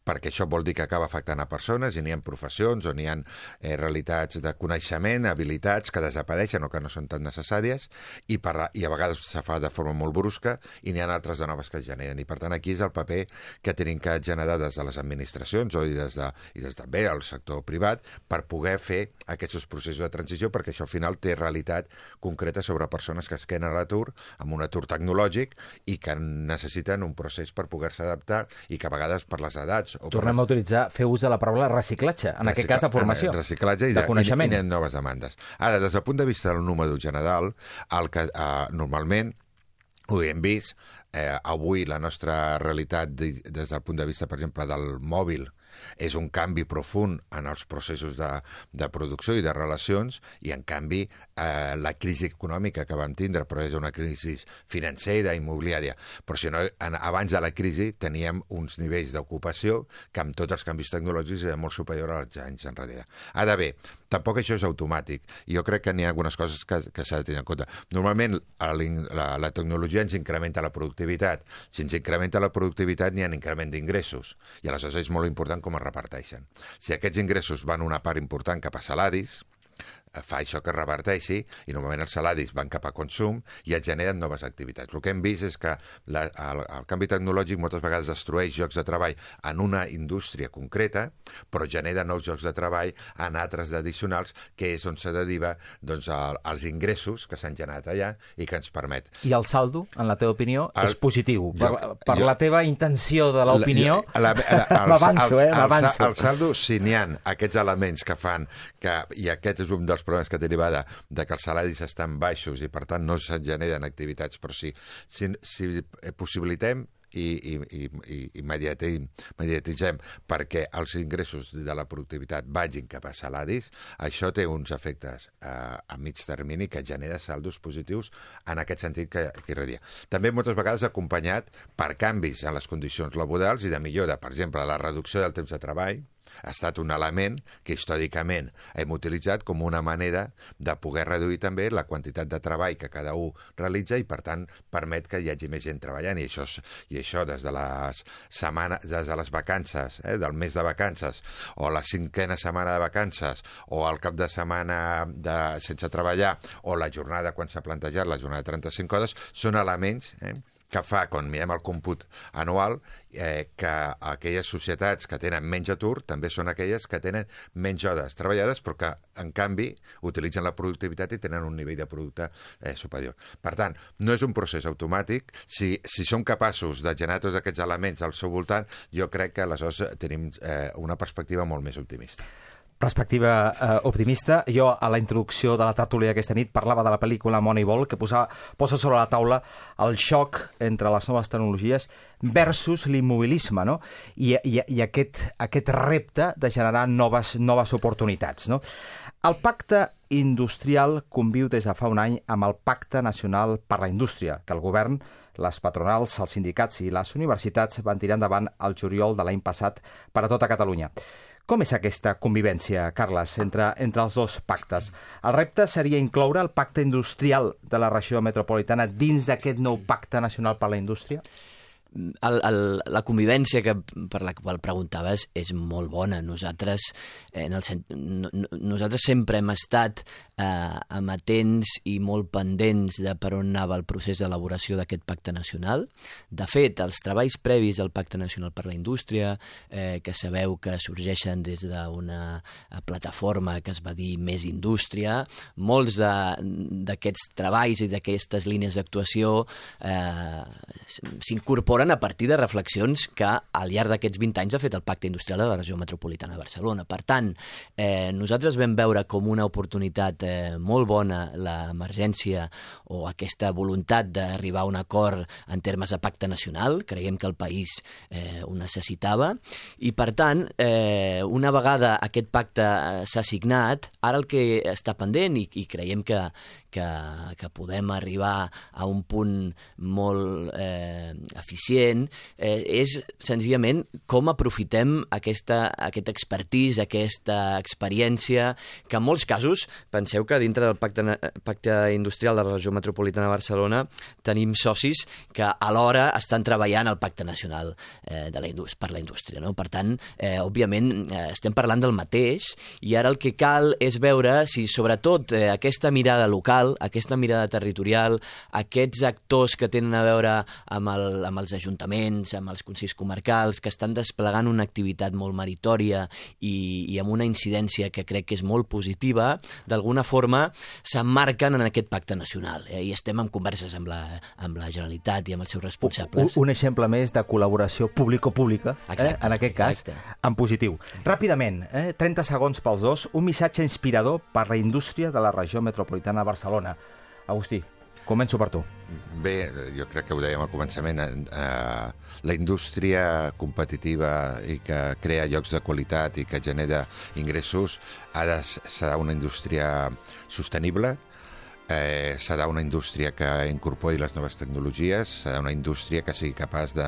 perquè això vol dir que acaba afectant a persones i n'hi ha professions o n'hi ha eh, realitats de coneixement, habilitats que desapareixen o que no són tan necessàries i, per, i a vegades se fa de forma molt brusca i n'hi ha altres de noves que es generen. I per tant aquí és el paper que tenim que generar des de les administracions o i des de, i des també del sector privat per poder fer aquests processos de transició, perquè això al final té realitat concreta sobre persones que es queden a l'atur, amb un atur tecnològic i que necessiten un procés per poder-se adaptar i que a vegades per les edats tornem a utilitzar, fer ús de la paraula reciclatge, en Recicla... aquest cas de formació, reciclatge i de, de coneixement. I, i noves demandes. Ara, des del punt de vista del número general, el que eh, normalment ho hem vist, eh, avui la nostra realitat de, des del punt de vista, per exemple, del mòbil, és un canvi profund en els processos de, de producció i de relacions i, en canvi, eh, la crisi econòmica que vam tindre, però és una crisi financera, immobiliària. Però si no, en, abans de la crisi teníem uns nivells d'ocupació que amb tots els canvis tecnològics era molt superior als anys enrere. Ara bé, tampoc això és automàtic. Jo crec que n'hi ha algunes coses que, que s'ha de tenir en compte. Normalment la, la tecnologia ens incrementa la productivitat. Si ens incrementa la productivitat n'hi ha un increment d'ingressos. I aleshores és molt important com es reparteixen. Si aquests ingressos van una part important cap a salaris, fa això que es reverteixi i normalment els salaris van cap a consum i es generen noves activitats. El que hem vist és que la, el, el canvi tecnològic moltes vegades destrueix llocs de treball en una indústria concreta, però genera nous llocs de treball en altres addicionals, que és on se deriva doncs, el, els ingressos que s'han generat allà i que ens permet. I el saldo, en la teva opinió, el, és positiu. Jo, per per jo, la teva intenció de l'opinió, m'avanço, eh? M'avanço. El saldo, si n'hi ha aquests elements que fan que, i aquest és un dels problemes que deriva de, de que els salaris estan baixos i per tant no se generen activitats, però sí, si, si possibilitem i, i, i, i immediatitzem perquè els ingressos de la productivitat vagin cap a salaris, això té uns efectes eh, a mig termini que genera saldos positius en aquest sentit que, que irradia. També moltes vegades acompanyat per canvis en les condicions laborals i de millora, per exemple, la reducció del temps de treball ha estat un element que històricament hem utilitzat com una manera de poder reduir també la quantitat de treball que cada un realitza i, per tant, permet que hi hagi més gent treballant. I això, i això des de les setmanes, des de les vacances, eh, del mes de vacances, o la cinquena setmana de vacances, o el cap de setmana de, sense treballar, o la jornada quan s'ha plantejat, la jornada de trenta-cinc hores, són elements eh, que fa, quan mirem el còmput anual, eh, que aquelles societats que tenen menys atur també són aquelles que tenen menys hores treballades, però que, en canvi, utilitzen la productivitat i tenen un nivell de producte eh, superior. Per tant, no és un procés automàtic. Si, si som capaços de generar tots aquests elements al seu voltant, jo crec que aleshores tenim eh, una perspectiva molt més optimista. Perspectiva eh, optimista. Jo, a la introducció de la tertúlia aquesta nit, parlava de la pel·lícula Moneyball, que posa, posa sobre la taula el xoc entre les noves tecnologies versus l'immobilisme, no? I, i, i aquest, aquest repte de generar noves, noves oportunitats, no? El pacte industrial conviu des de fa un any amb el Pacte Nacional per la Indústria, que el govern, les patronals, els sindicats i les universitats van tirar endavant el juliol de l'any passat per a tota Catalunya. Com és aquesta convivència, Carles, entre, entre els dos pactes? El repte seria incloure el pacte industrial de la regió metropolitana dins d'aquest nou pacte nacional per la indústria? El, el, la convivència que, per la qual preguntaves és molt bona. Nosaltres, eh, en el, no, nosaltres sempre hem estat eh, amatents i molt pendents de per on anava el procés d'elaboració d'aquest pacte nacional. De fet, els treballs previs del Pacte Nacional per la Indústria, eh, que sabeu que sorgeixen des d'una plataforma que es va dir Més Indústria, molts d'aquests treballs i d'aquestes línies d'actuació eh, s'incorporen a partir de reflexions que al llarg d'aquests vint anys ha fet el Pacte Industrial de la regió metropolitana de Barcelona. Per tant, eh, nosaltres vam veure com una oportunitat eh, molt bona l'emergència o aquesta voluntat d'arribar a un acord en termes de pacte nacional. Creiem que el país eh, ho necessitava i, per tant, eh, una vegada aquest pacte s'ha signat, ara el que està pendent i, i creiem que, que, que podem arribar a un punt molt eh, eficient Eh, és senzillament com aprofitem aquesta, aquest expertise, aquesta experiència, que en molts casos, penseu que dintre del pacte, pacte industrial de la regió metropolitana de Barcelona tenim socis que alhora estan treballant al pacte nacional eh, de la per la indústria. No? Per tant, eh, òbviament, eh, estem parlant del mateix i ara el que cal és veure si, sobretot, eh, aquesta mirada local, aquesta mirada territorial, aquests actors que tenen a veure amb, el, amb els ajuntaments, amb els consells comarcals, que estan desplegant una activitat molt meritòria i, i amb una incidència que crec que és molt positiva, d'alguna forma s'emmarquen en aquest pacte nacional. Eh? I estem en converses amb la, amb la Generalitat i amb els seus responsables. Un, un exemple més de col·laboració público-pública, eh? en aquest cas, exacte. En positiu. Ràpidament, eh? trenta segons pels dos, un missatge inspirador per la indústria de la regió metropolitana de Barcelona. Agustí, començo per tu. Bé, jo crec que ho dèiem al començament, eh, la indústria competitiva i que crea llocs de qualitat i que genera ingressos ara serà una indústria sostenible, eh, serà una indústria que incorpori les noves tecnologies, serà una indústria que sigui capaç de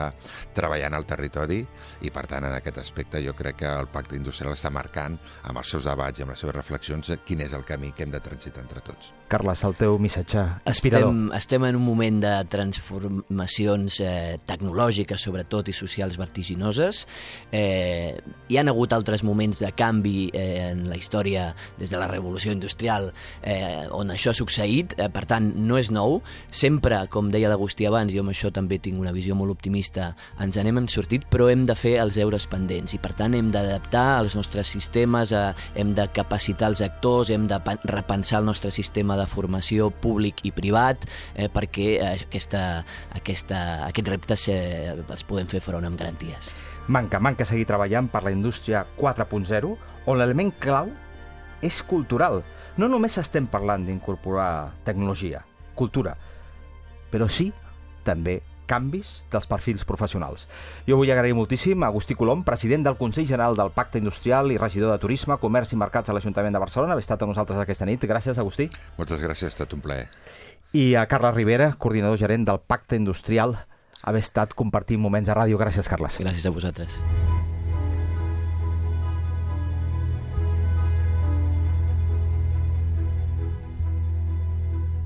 treballar en el territori i, per tant, en aquest aspecte jo crec que el Pacte Industrial està marcant amb els seus debats i amb les seves reflexions quin és el camí que hem de transitar entre tots. Carles, el teu missatge inspirador. Estem, estem en un moment de transformacions eh, tecnològiques, sobretot, i socials vertiginoses. Eh, hi han hagut altres moments de canvi eh, en la història des de la revolució industrial eh, on això ha succeït, eh, per tant, no és nou. Sempre, com deia l'Agustí abans, jo amb això també tinc una visió molt optimista, ens n'hem sortit, però hem de fer els deures pendents i, per tant, hem d'adaptar els nostres sistemes, eh, hem de capacitar els actors, hem de repensar el nostre sistema de formació públic i privat eh, perquè eh, aquesta, aquesta, aquests reptes eh, els podem fer front amb garanties. Manca, manca seguir treballant per la indústria quatre punt zero, on l'element clau és cultural. No només estem parlant d'incorporar tecnologia, cultura, però sí, també, canvis dels perfils professionals. Jo vull agrair moltíssim a Agustí Colom, president del Consell General del Pacte Industrial i regidor de Turisme, Comerç i Mercats a l'Ajuntament de Barcelona, haver estat amb nosaltres aquesta nit. Gràcies, Agustí. Moltes gràcies, ha estat un plaer. I a Carles Rivera, coordinador gerent del Pacte Industrial, haver estat compartint moments a ràdio. Gràcies, Carles. Gràcies a vosaltres.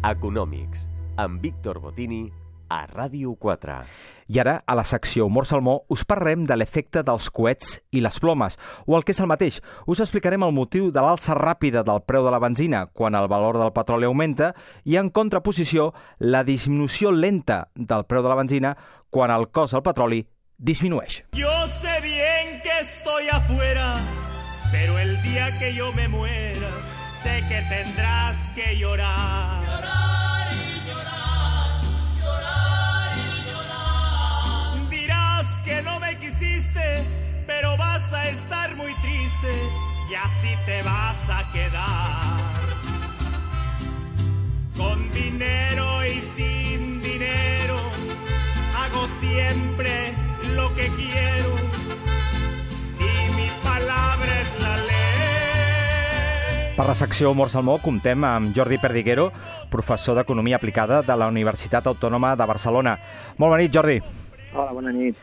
Econòmics, amb Víctor Botini, a Ràdio quatre. I ara, a la secció Humor Salmó, us parlarem de l'efecte dels coets i les plomes, o el que és el mateix. Us explicarem el motiu de l'alça ràpida del preu de la benzina quan el valor del petroli augmenta i, en contraposició, la disminució lenta del preu de la benzina quan el cost del petroli disminueix. Yo sé bien que estoy afuera, pero el día que yo me muera, sé que tendrás que llorar. Llorar y llorar, llorar y llorar. Dirás que no me quisiste, pero vas a estar muy triste y así te vas a quedar. Con dinero y sin dinero, hago siempre lo que quiero y mi palabra es la ley. Per la secció Humor Salmó comptem amb Jordi Perdiguero, professor d'Economia Aplicada de la Universitat Autònoma de Barcelona. Molt bona nit, Jordi. Hola, bona nit.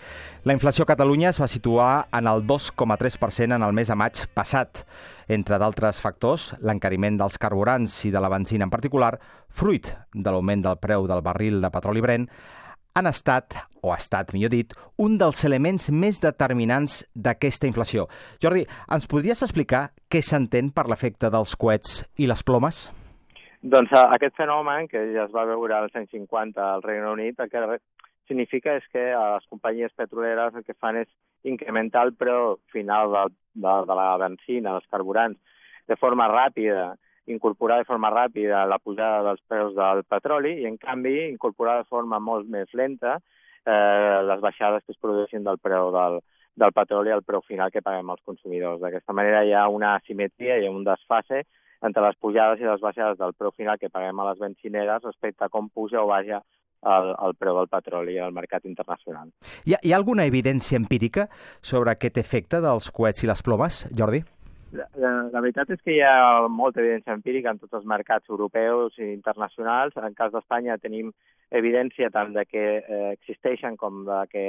La inflació a Catalunya es va situar en el dos coma tres per cent en el mes de maig passat. Entre d'altres factors, l'encariment dels carburants i de la benzina en particular, fruit de l'augment del preu del barril de petroli Brent, han estat, o ha estat, millor dit, un dels elements més determinants d'aquesta inflació. Jordi, ens podries explicar què s'entén per l'efecte dels coets i les plomes? Doncs aquest fenomen, que ja es va veure als anys cinquanta al Regne Unit, el que significa és que les companyies petroleres el que fan és incrementar el preu final de, de, de la benzina, dels carburants, de forma ràpida, incorporar de forma ràpida la pujada dels preus del petroli i, en canvi, incorporar de forma molt més lenta eh, les baixades que es produeixen del preu del, del petroli al preu final que paguem els consumidors. D'aquesta manera hi ha una asimetria, hi ha un desfase entre les pujades i les baixades del preu final que paguem a les benzineres respecte a com puja o baixa el, el preu del petroli al mercat internacional. Hi ha, hi ha alguna evidència empírica sobre aquest efecte dels coets i les plomes, Jordi? La, la, la veritat és que hi ha molta evidència empírica en tots els mercats europeus i internacionals. En cas d'Espanya tenim evidència tant de que eh, existeixen com de que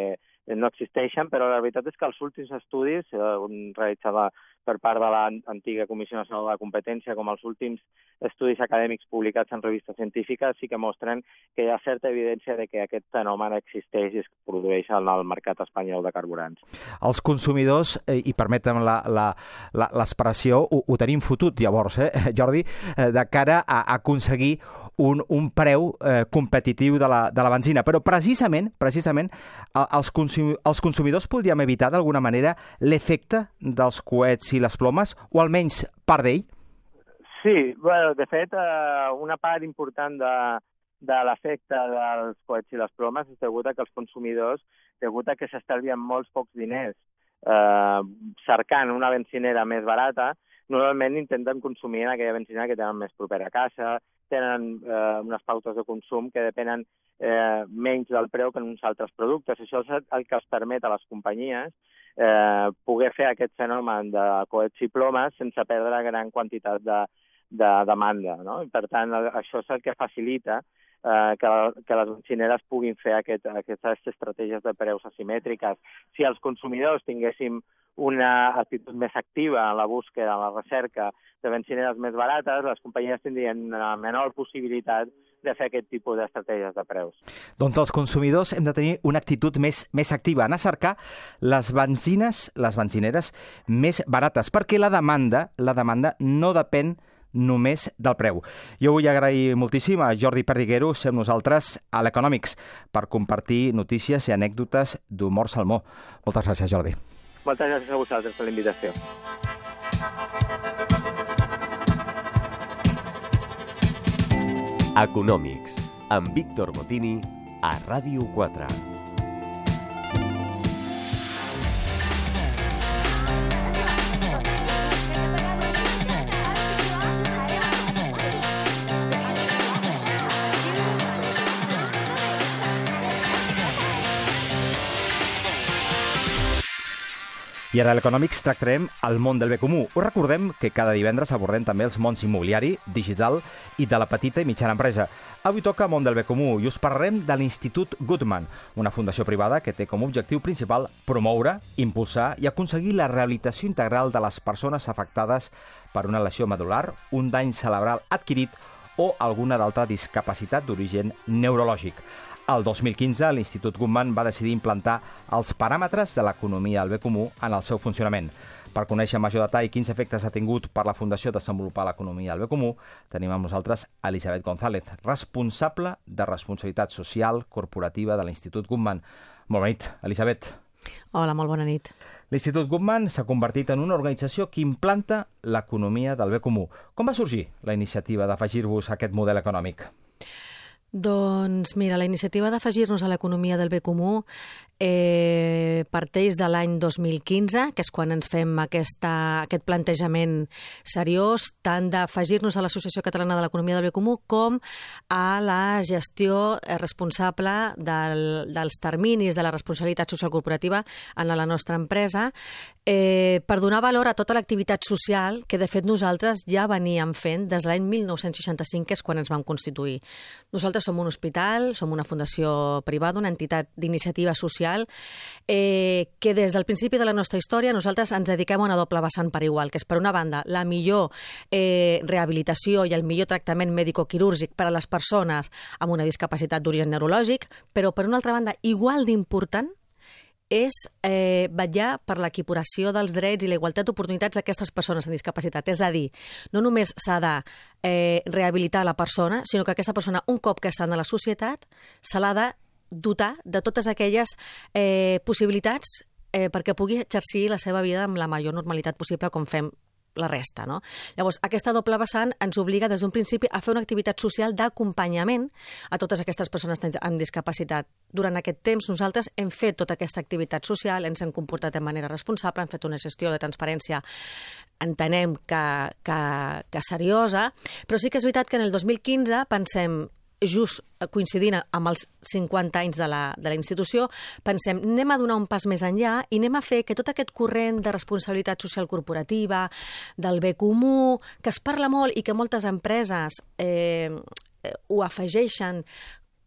no existeixen, però la veritat és que els últims estudis, eh, realitzats per part de l'antiga Comissió Nacional de la Competència, com els últims estudis acadèmics publicats en revistes científiques, sí que mostren que hi ha certa evidència de que aquest fenomen existeix i es produeix en el mercat espanyol de carburants. Els consumidors, eh, i permetem l'expressió, ho, ho tenim fotut llavors, eh, Jordi, eh, de cara a, a aconseguir un, un preu eh, competitiu de la, de la benzina. Però precisament, precisament els, consum, els consumidors podríem evitar d'alguna manera l'efecte dels coets i les plomes, o almenys part d'ell? Sí, bueno, de fet, eh, una part important de, de l'efecte dels coets i les plomes és degut a que els consumidors, degut a que s'estalvien molts pocs diners eh, cercant una benzinera més barata, normalment intenten consumir en aquella benzinera que tenen més propera a casa, tenen eh, unes pautes de consum que depenen eh, menys del preu que en uns altres productes. Això és el que els permet a les companyies eh, poder fer aquest fenomen de coets i plomes sense perdre gran quantitat de, de demanda, no? I per tant, això és el que facilita eh, que, que les benzineres puguin fer aquest, aquestes estratègies de preus asimètriques. Si els consumidors tinguéssim una actitud més activa en la búsqueda, en la recerca de benzineres més barates, les companyies tindrien una menor possibilitat de fer aquest tipus d'estratègies de preus. Doncs els consumidors hem de tenir una actitud més, més activa, anar a cercar les benzines, les benzineres més barates, perquè la demanda, la demanda no depèn només del preu. Jo vull agrair moltíssim a Jordi Perdiguero, ser amb nosaltres a l'Economics, per compartir notícies i anècdotes d'humor salmó. Moltes gràcies, Jordi. Moltes gràcies a vosaltres per la invitació. Econòmics, amb Víctor Botini, a Ràdio quatre. I ara a l'Economics tractarem el món del bé comú. Us recordem que cada divendres abordem també els mons immobiliari, digital i de la petita i mitjana empresa. Avui toca món del bé comú i us parlarem de l'Institut Guttmann, una fundació privada que té com a objectiu principal promoure, impulsar i aconseguir la rehabilitació integral de les persones afectades per una lesió medular, un dany cerebral adquirit o alguna d'altra discapacitat d'origen neurològic. El dos mil quinze, l'Institut Guttmann va decidir implantar els paràmetres de l'economia del bé comú en el seu funcionament. Per conèixer en major detall quins efectes ha tingut per la Fundació desenvolupar l'economia del bé comú, tenim amb nosaltres Elisabet González, responsable de responsabilitat social corporativa de l'Institut Guttmann. Molt bona nit, Elisabet. Hola, molt bona nit. L'Institut Guttmann s'ha convertit en una organització que implanta l'economia del bé comú. Com va sorgir la iniciativa d'afegir-vos a aquest model econòmic? Doncs mira, la iniciativa d'afegir-nos a l'economia del bé comú eh, parteix de l'any dos mil quinze, que és quan ens fem aquesta, aquest plantejament seriós, tant d'afegir-nos a l'Associació Catalana de l'Economia del Bé Comú com a la gestió responsable del, dels terminis de la responsabilitat social corporativa en la nostra empresa, eh, per donar valor a tota l'activitat social que de fet nosaltres ja veníem fent des de l'any mil nou-cents seixanta-cinc, que és quan ens vam constituir. Nosaltres som un hospital, som una fundació privada, una entitat d'iniciativa social, eh, que des del principi de la nostra història nosaltres ens dediquem a una doble vessant per igual, que és, per una banda, la millor eh, rehabilitació i el millor tractament mèdico-quirúrgic per a les persones amb una discapacitat d'origen neurològic, però, per una altra banda, igual d'important és eh, vetllar per l'equiparació dels drets i la igualtat d'oportunitats d'aquestes persones amb discapacitat. És a dir, no només s'ha de eh, rehabilitar la persona, sinó que aquesta persona, un cop que està en la societat, se l'ha de dotar de totes aquelles eh, possibilitats eh, perquè pugui exercir la seva vida amb la major normalitat possible, com fem la resta, no? Llavors, aquesta doble vessant ens obliga des d'un principi a fer una activitat social d'acompanyament a totes aquestes persones amb discapacitat. Durant aquest temps nosaltres hem fet tota aquesta activitat social, ens hem comportat de manera responsable, hem fet una gestió de transparència, entenem que, que, que seriosa, però sí que és veritat que en el dos mil quinze pensem, just coincidint amb els cinquanta anys de la, de la institució, pensem, anem a donar un pas més enllà i anem a fer que tot aquest corrent de responsabilitat social corporativa, del bé comú, que es parla molt i que moltes empreses eh, ho afegeixen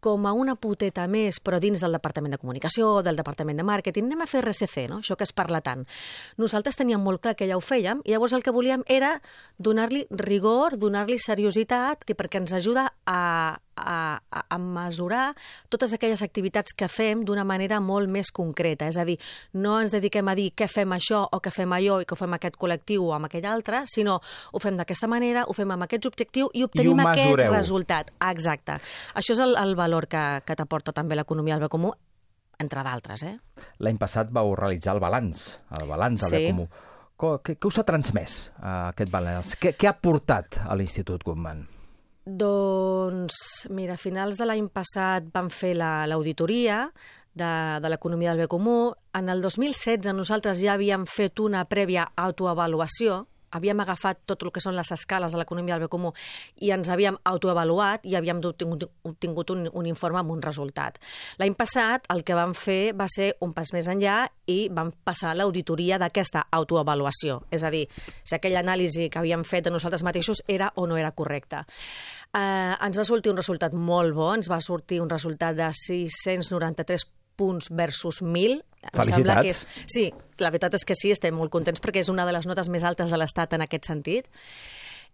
com a una poteta més, però dins del Departament de Comunicació, del Departament de Màrqueting, anem a fer R C C, no? Això que es parla tant. Nosaltres teníem molt clar que ja ho fèiem i llavors el que volíem era donar-li rigor, donar-li seriositat, perquè ens ajuda a, a, a mesurar totes aquelles activitats que fem d'una manera molt més concreta. És a dir, no ens dediquem a dir què fem això o què fem allò i que ho fem aquest col·lectiu o amb aquell altre, sinó ho fem d'aquesta manera, ho fem amb aquests objectius i obtenim I aquest resultat. Exacte. Això és el, el valor que, que t'aporta també l'economia del bé comú, entre d'altres. Eh? L'any passat vau realitzar el balanç, el balanç del sí. bé comú. Què, què us ha transmès uh, aquest balanç? Què, què ha portat a l'Institut Guttmann? Doncs, mira, a finals de l'any passat vam fer l'auditoria de, de l'economia del bé comú. En el dos mil setze nosaltres ja havíem fet una prèvia autoavaluació havíem agafat tot el que són les escales de l'economia del bé comú i ens havíem autoavaluat i havíem obtingut, obtingut un, un informe amb un resultat. L'any passat el que vam fer va ser un pas més enllà i vam passar l'auditoria d'aquesta autoavaluació, és a dir, si aquella anàlisi que havíem fet de nosaltres mateixos era o no era correcta. Eh, ens va sortir un resultat molt bo, ens va sortir un resultat de sis-cents noranta-tres punts versus mil. Felicitats. Que és... Sí, la veritat és que sí, estem molt contents perquè és una de les notes més altes de l'Estat en aquest sentit.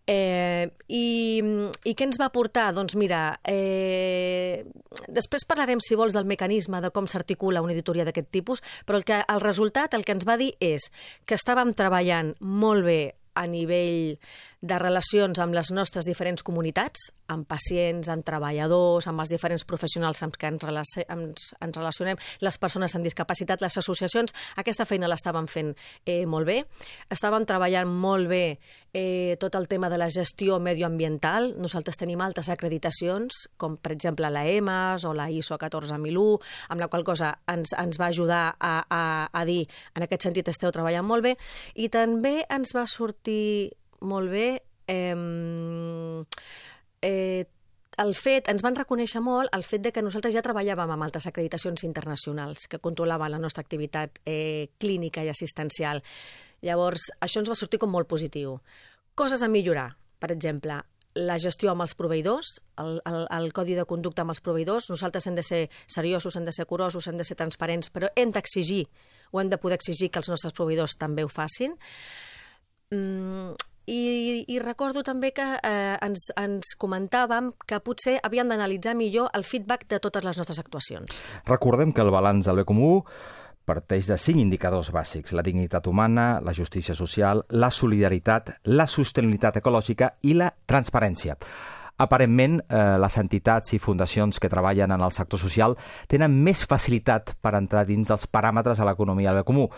Eh, i, I què ens va portar? Doncs mira, eh, després parlarem, si vols, del mecanisme de com s'articula una auditoria d'aquest tipus, però el, que, el resultat, el que ens va dir és que estàvem treballant molt bé a nivell de relacions amb les nostres diferents comunitats, amb pacients, amb treballadors, amb els diferents professionals amb què ens, relaci ens, ens relacionem, les persones amb discapacitat, les associacions, aquesta feina l'estàvem fent eh, molt bé. Estàvem treballant molt bé eh, tot el tema de la gestió medioambiental. Nosaltres tenim altres acreditacions, com per exemple la E M A S o la I S O catorze mil u, amb la qual cosa ens, ens va ajudar a, a, a dir en aquest sentit esteu treballant molt bé, i també ens va sortir molt bé eh, eh, el fet, ens van reconèixer molt el fet de que nosaltres ja treballàvem amb altres acreditacions internacionals que controlaven la nostra activitat eh, clínica i assistencial. Llavors, això ens va sortir com molt positiu. Coses a millorar, per exemple, la gestió amb els proveïdors, el, el, el codi de conducta amb els proveïdors. Nosaltres hem de ser seriosos, hem de ser curosos, hem de ser transparents, però hem d'exigir, o hem de poder exigir que els nostres proveïdors també ho facin. Mm, i, i recordo també que eh, ens, ens comentàvem que potser havíem d'analitzar millor el feedback de totes les nostres actuacions. Recordem que el balanç del bé comú parteix de cinc indicadors bàsics: la dignitat humana, la justícia social, la solidaritat, la sostenibilitat ecològica i la transparència. Aparentment, eh, les entitats i fundacions que treballen en el sector social tenen més facilitat per entrar dins dels paràmetres de l'economia del bé comú.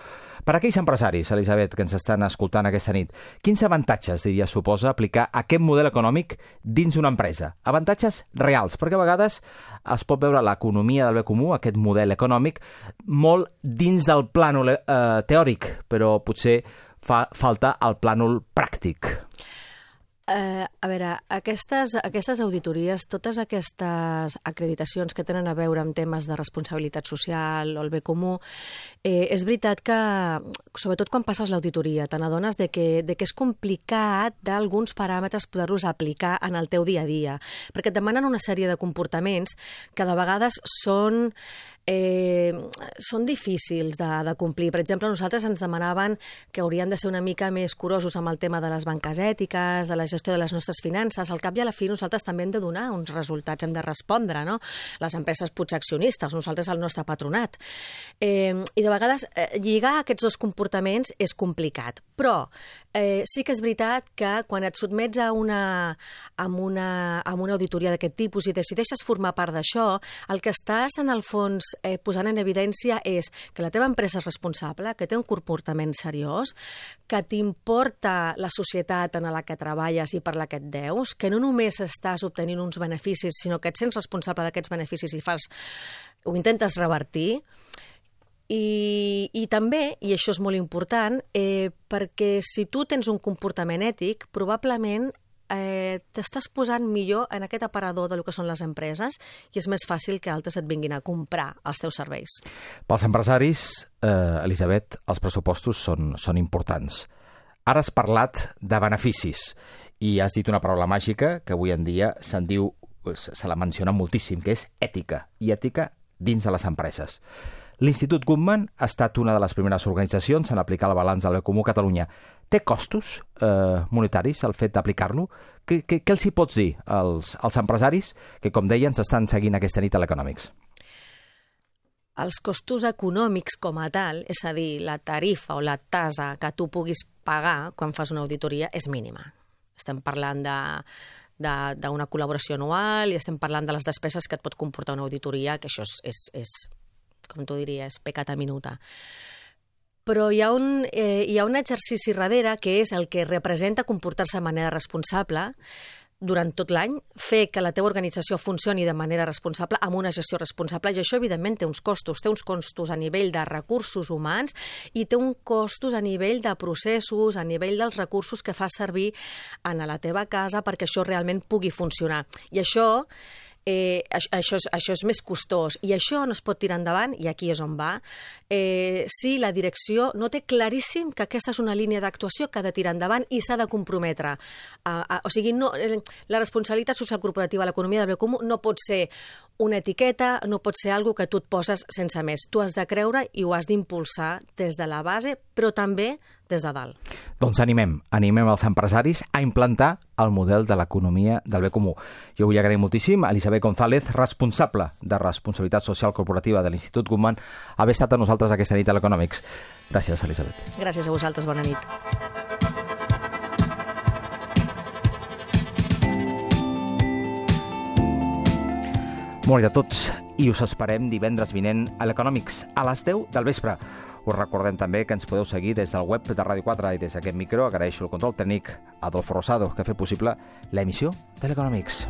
Per a aquells empresaris, Elisabet, que ens estan escoltant aquesta nit, quins avantatges, diria, suposa aplicar aquest model econòmic dins una empresa? Avantatges reals, perquè a vegades es pot veure l'economia del bé comú, aquest model econòmic, molt dins del plànol eh, teòric, però potser fa falta el plànol pràctic. Uh, a veure, aquestes, aquestes auditories, totes aquestes acreditacions que tenen a veure amb temes de responsabilitat social o el bé comú, eh, és veritat que, sobretot quan passes l'auditoria, te n'adones de que, de que és complicat d'alguns paràmetres poder-los aplicar en el teu dia a dia, perquè et demanen una sèrie de comportaments que de vegades són Eh, són difícils de, de complir. Per exemple, nosaltres ens demanaven que haurien de ser una mica més curosos amb el tema de les banques ètiques, de la gestió de les nostres finances. Al cap i a la fi nosaltres també hem de donar uns resultats, hem de respondre, no? Les empreses potser accionistes, nosaltres el nostre patronat. Eh, I de vegades eh, lligar aquests dos comportaments és complicat, però eh, sí que és veritat que quan et sotmets a una, a una, a una auditoria d'aquest tipus i decideixes formar part d'això, el que estàs en el fons Eh, posant en evidència és que la teva empresa és responsable, que té un comportament seriós, que t'importa la societat en la que treballes i per la que et deus, que no només estàs obtenint uns beneficis, sinó que et sents responsable d'aquests beneficis i fas, ho intentes revertir. I, i també, i això és molt important, eh, perquè si tu tens un comportament ètic, probablement Eh, t'estàs posant millor en aquest aparador del que són les empreses i és més fàcil que altres et vinguin a comprar els teus serveis. Pels empresaris, eh, Elisabet, els pressupostos són, són importants. Ara has parlat de beneficis i has dit una paraula màgica que avui en dia se'n diu, se la menciona moltíssim, que és ètica, i ètica dins de les empreses. L'Institut Guttmann ha estat una de les primeres organitzacions en aplicar el balanç del bé comú a Catalunya. Té costos eh, monetaris el fet d'aplicar-lo? Què, què, què els hi pots dir als, als empresaris que, com deien, s'estan seguint aquesta nit a l'Economics? Els costos econòmics com a tal, és a dir, la tarifa o la tasa que tu puguis pagar quan fas una auditoria és mínima. Estem parlant de d'una col·laboració anual i estem parlant de les despeses que et pot comportar una auditoria, que això és, és, és com tu diries, peccata minuta. Però hi ha, un, eh, hi ha un exercici darrere que és el que representa comportar-se de manera responsable, durant tot l'any, fer que la teva organització funcioni de manera responsable, amb una gestió responsable, i això, evidentment, té uns costos. Té uns costos a nivell de recursos humans i té uns costos a nivell de processos, a nivell dels recursos que fas servir en la teva casa perquè això realment pugui funcionar. I això... Eh, això, és, això és més costós i això no es pot tirar endavant, i aquí és on va, eh, si la direcció no té claríssim que aquesta és una línia d'actuació que ha de tirar endavant i s'ha de comprometre. A, a, o sigui, no, la responsabilitat social corporativa a l'economia del bé comú no pot ser una etiqueta, no pot ser alguna que tu et poses sense més. Tu has de creure i ho has d'impulsar des de la base, però també des de dalt. Doncs animem, animem els empresaris a implantar el model de l'economia del bé comú. Jo vull agrair moltíssim a Elisabet González, responsable de responsabilitat social corporativa de l'Institut Guttmann, haver estat a nosaltres aquesta nit a l'Economics. Gràcies, Elisabet. Gràcies a vosaltres, bona nit. Molt bé a tots, i us esperem divendres vinent a l'Economics, a les deu del vespre. Us recordem també que ens podeu seguir des del web de Ràdio quatre i des d'aquest micro agraeixo el control tècnic a Adolfo Rosado, que ha fet possible l'emissió de l'Economics.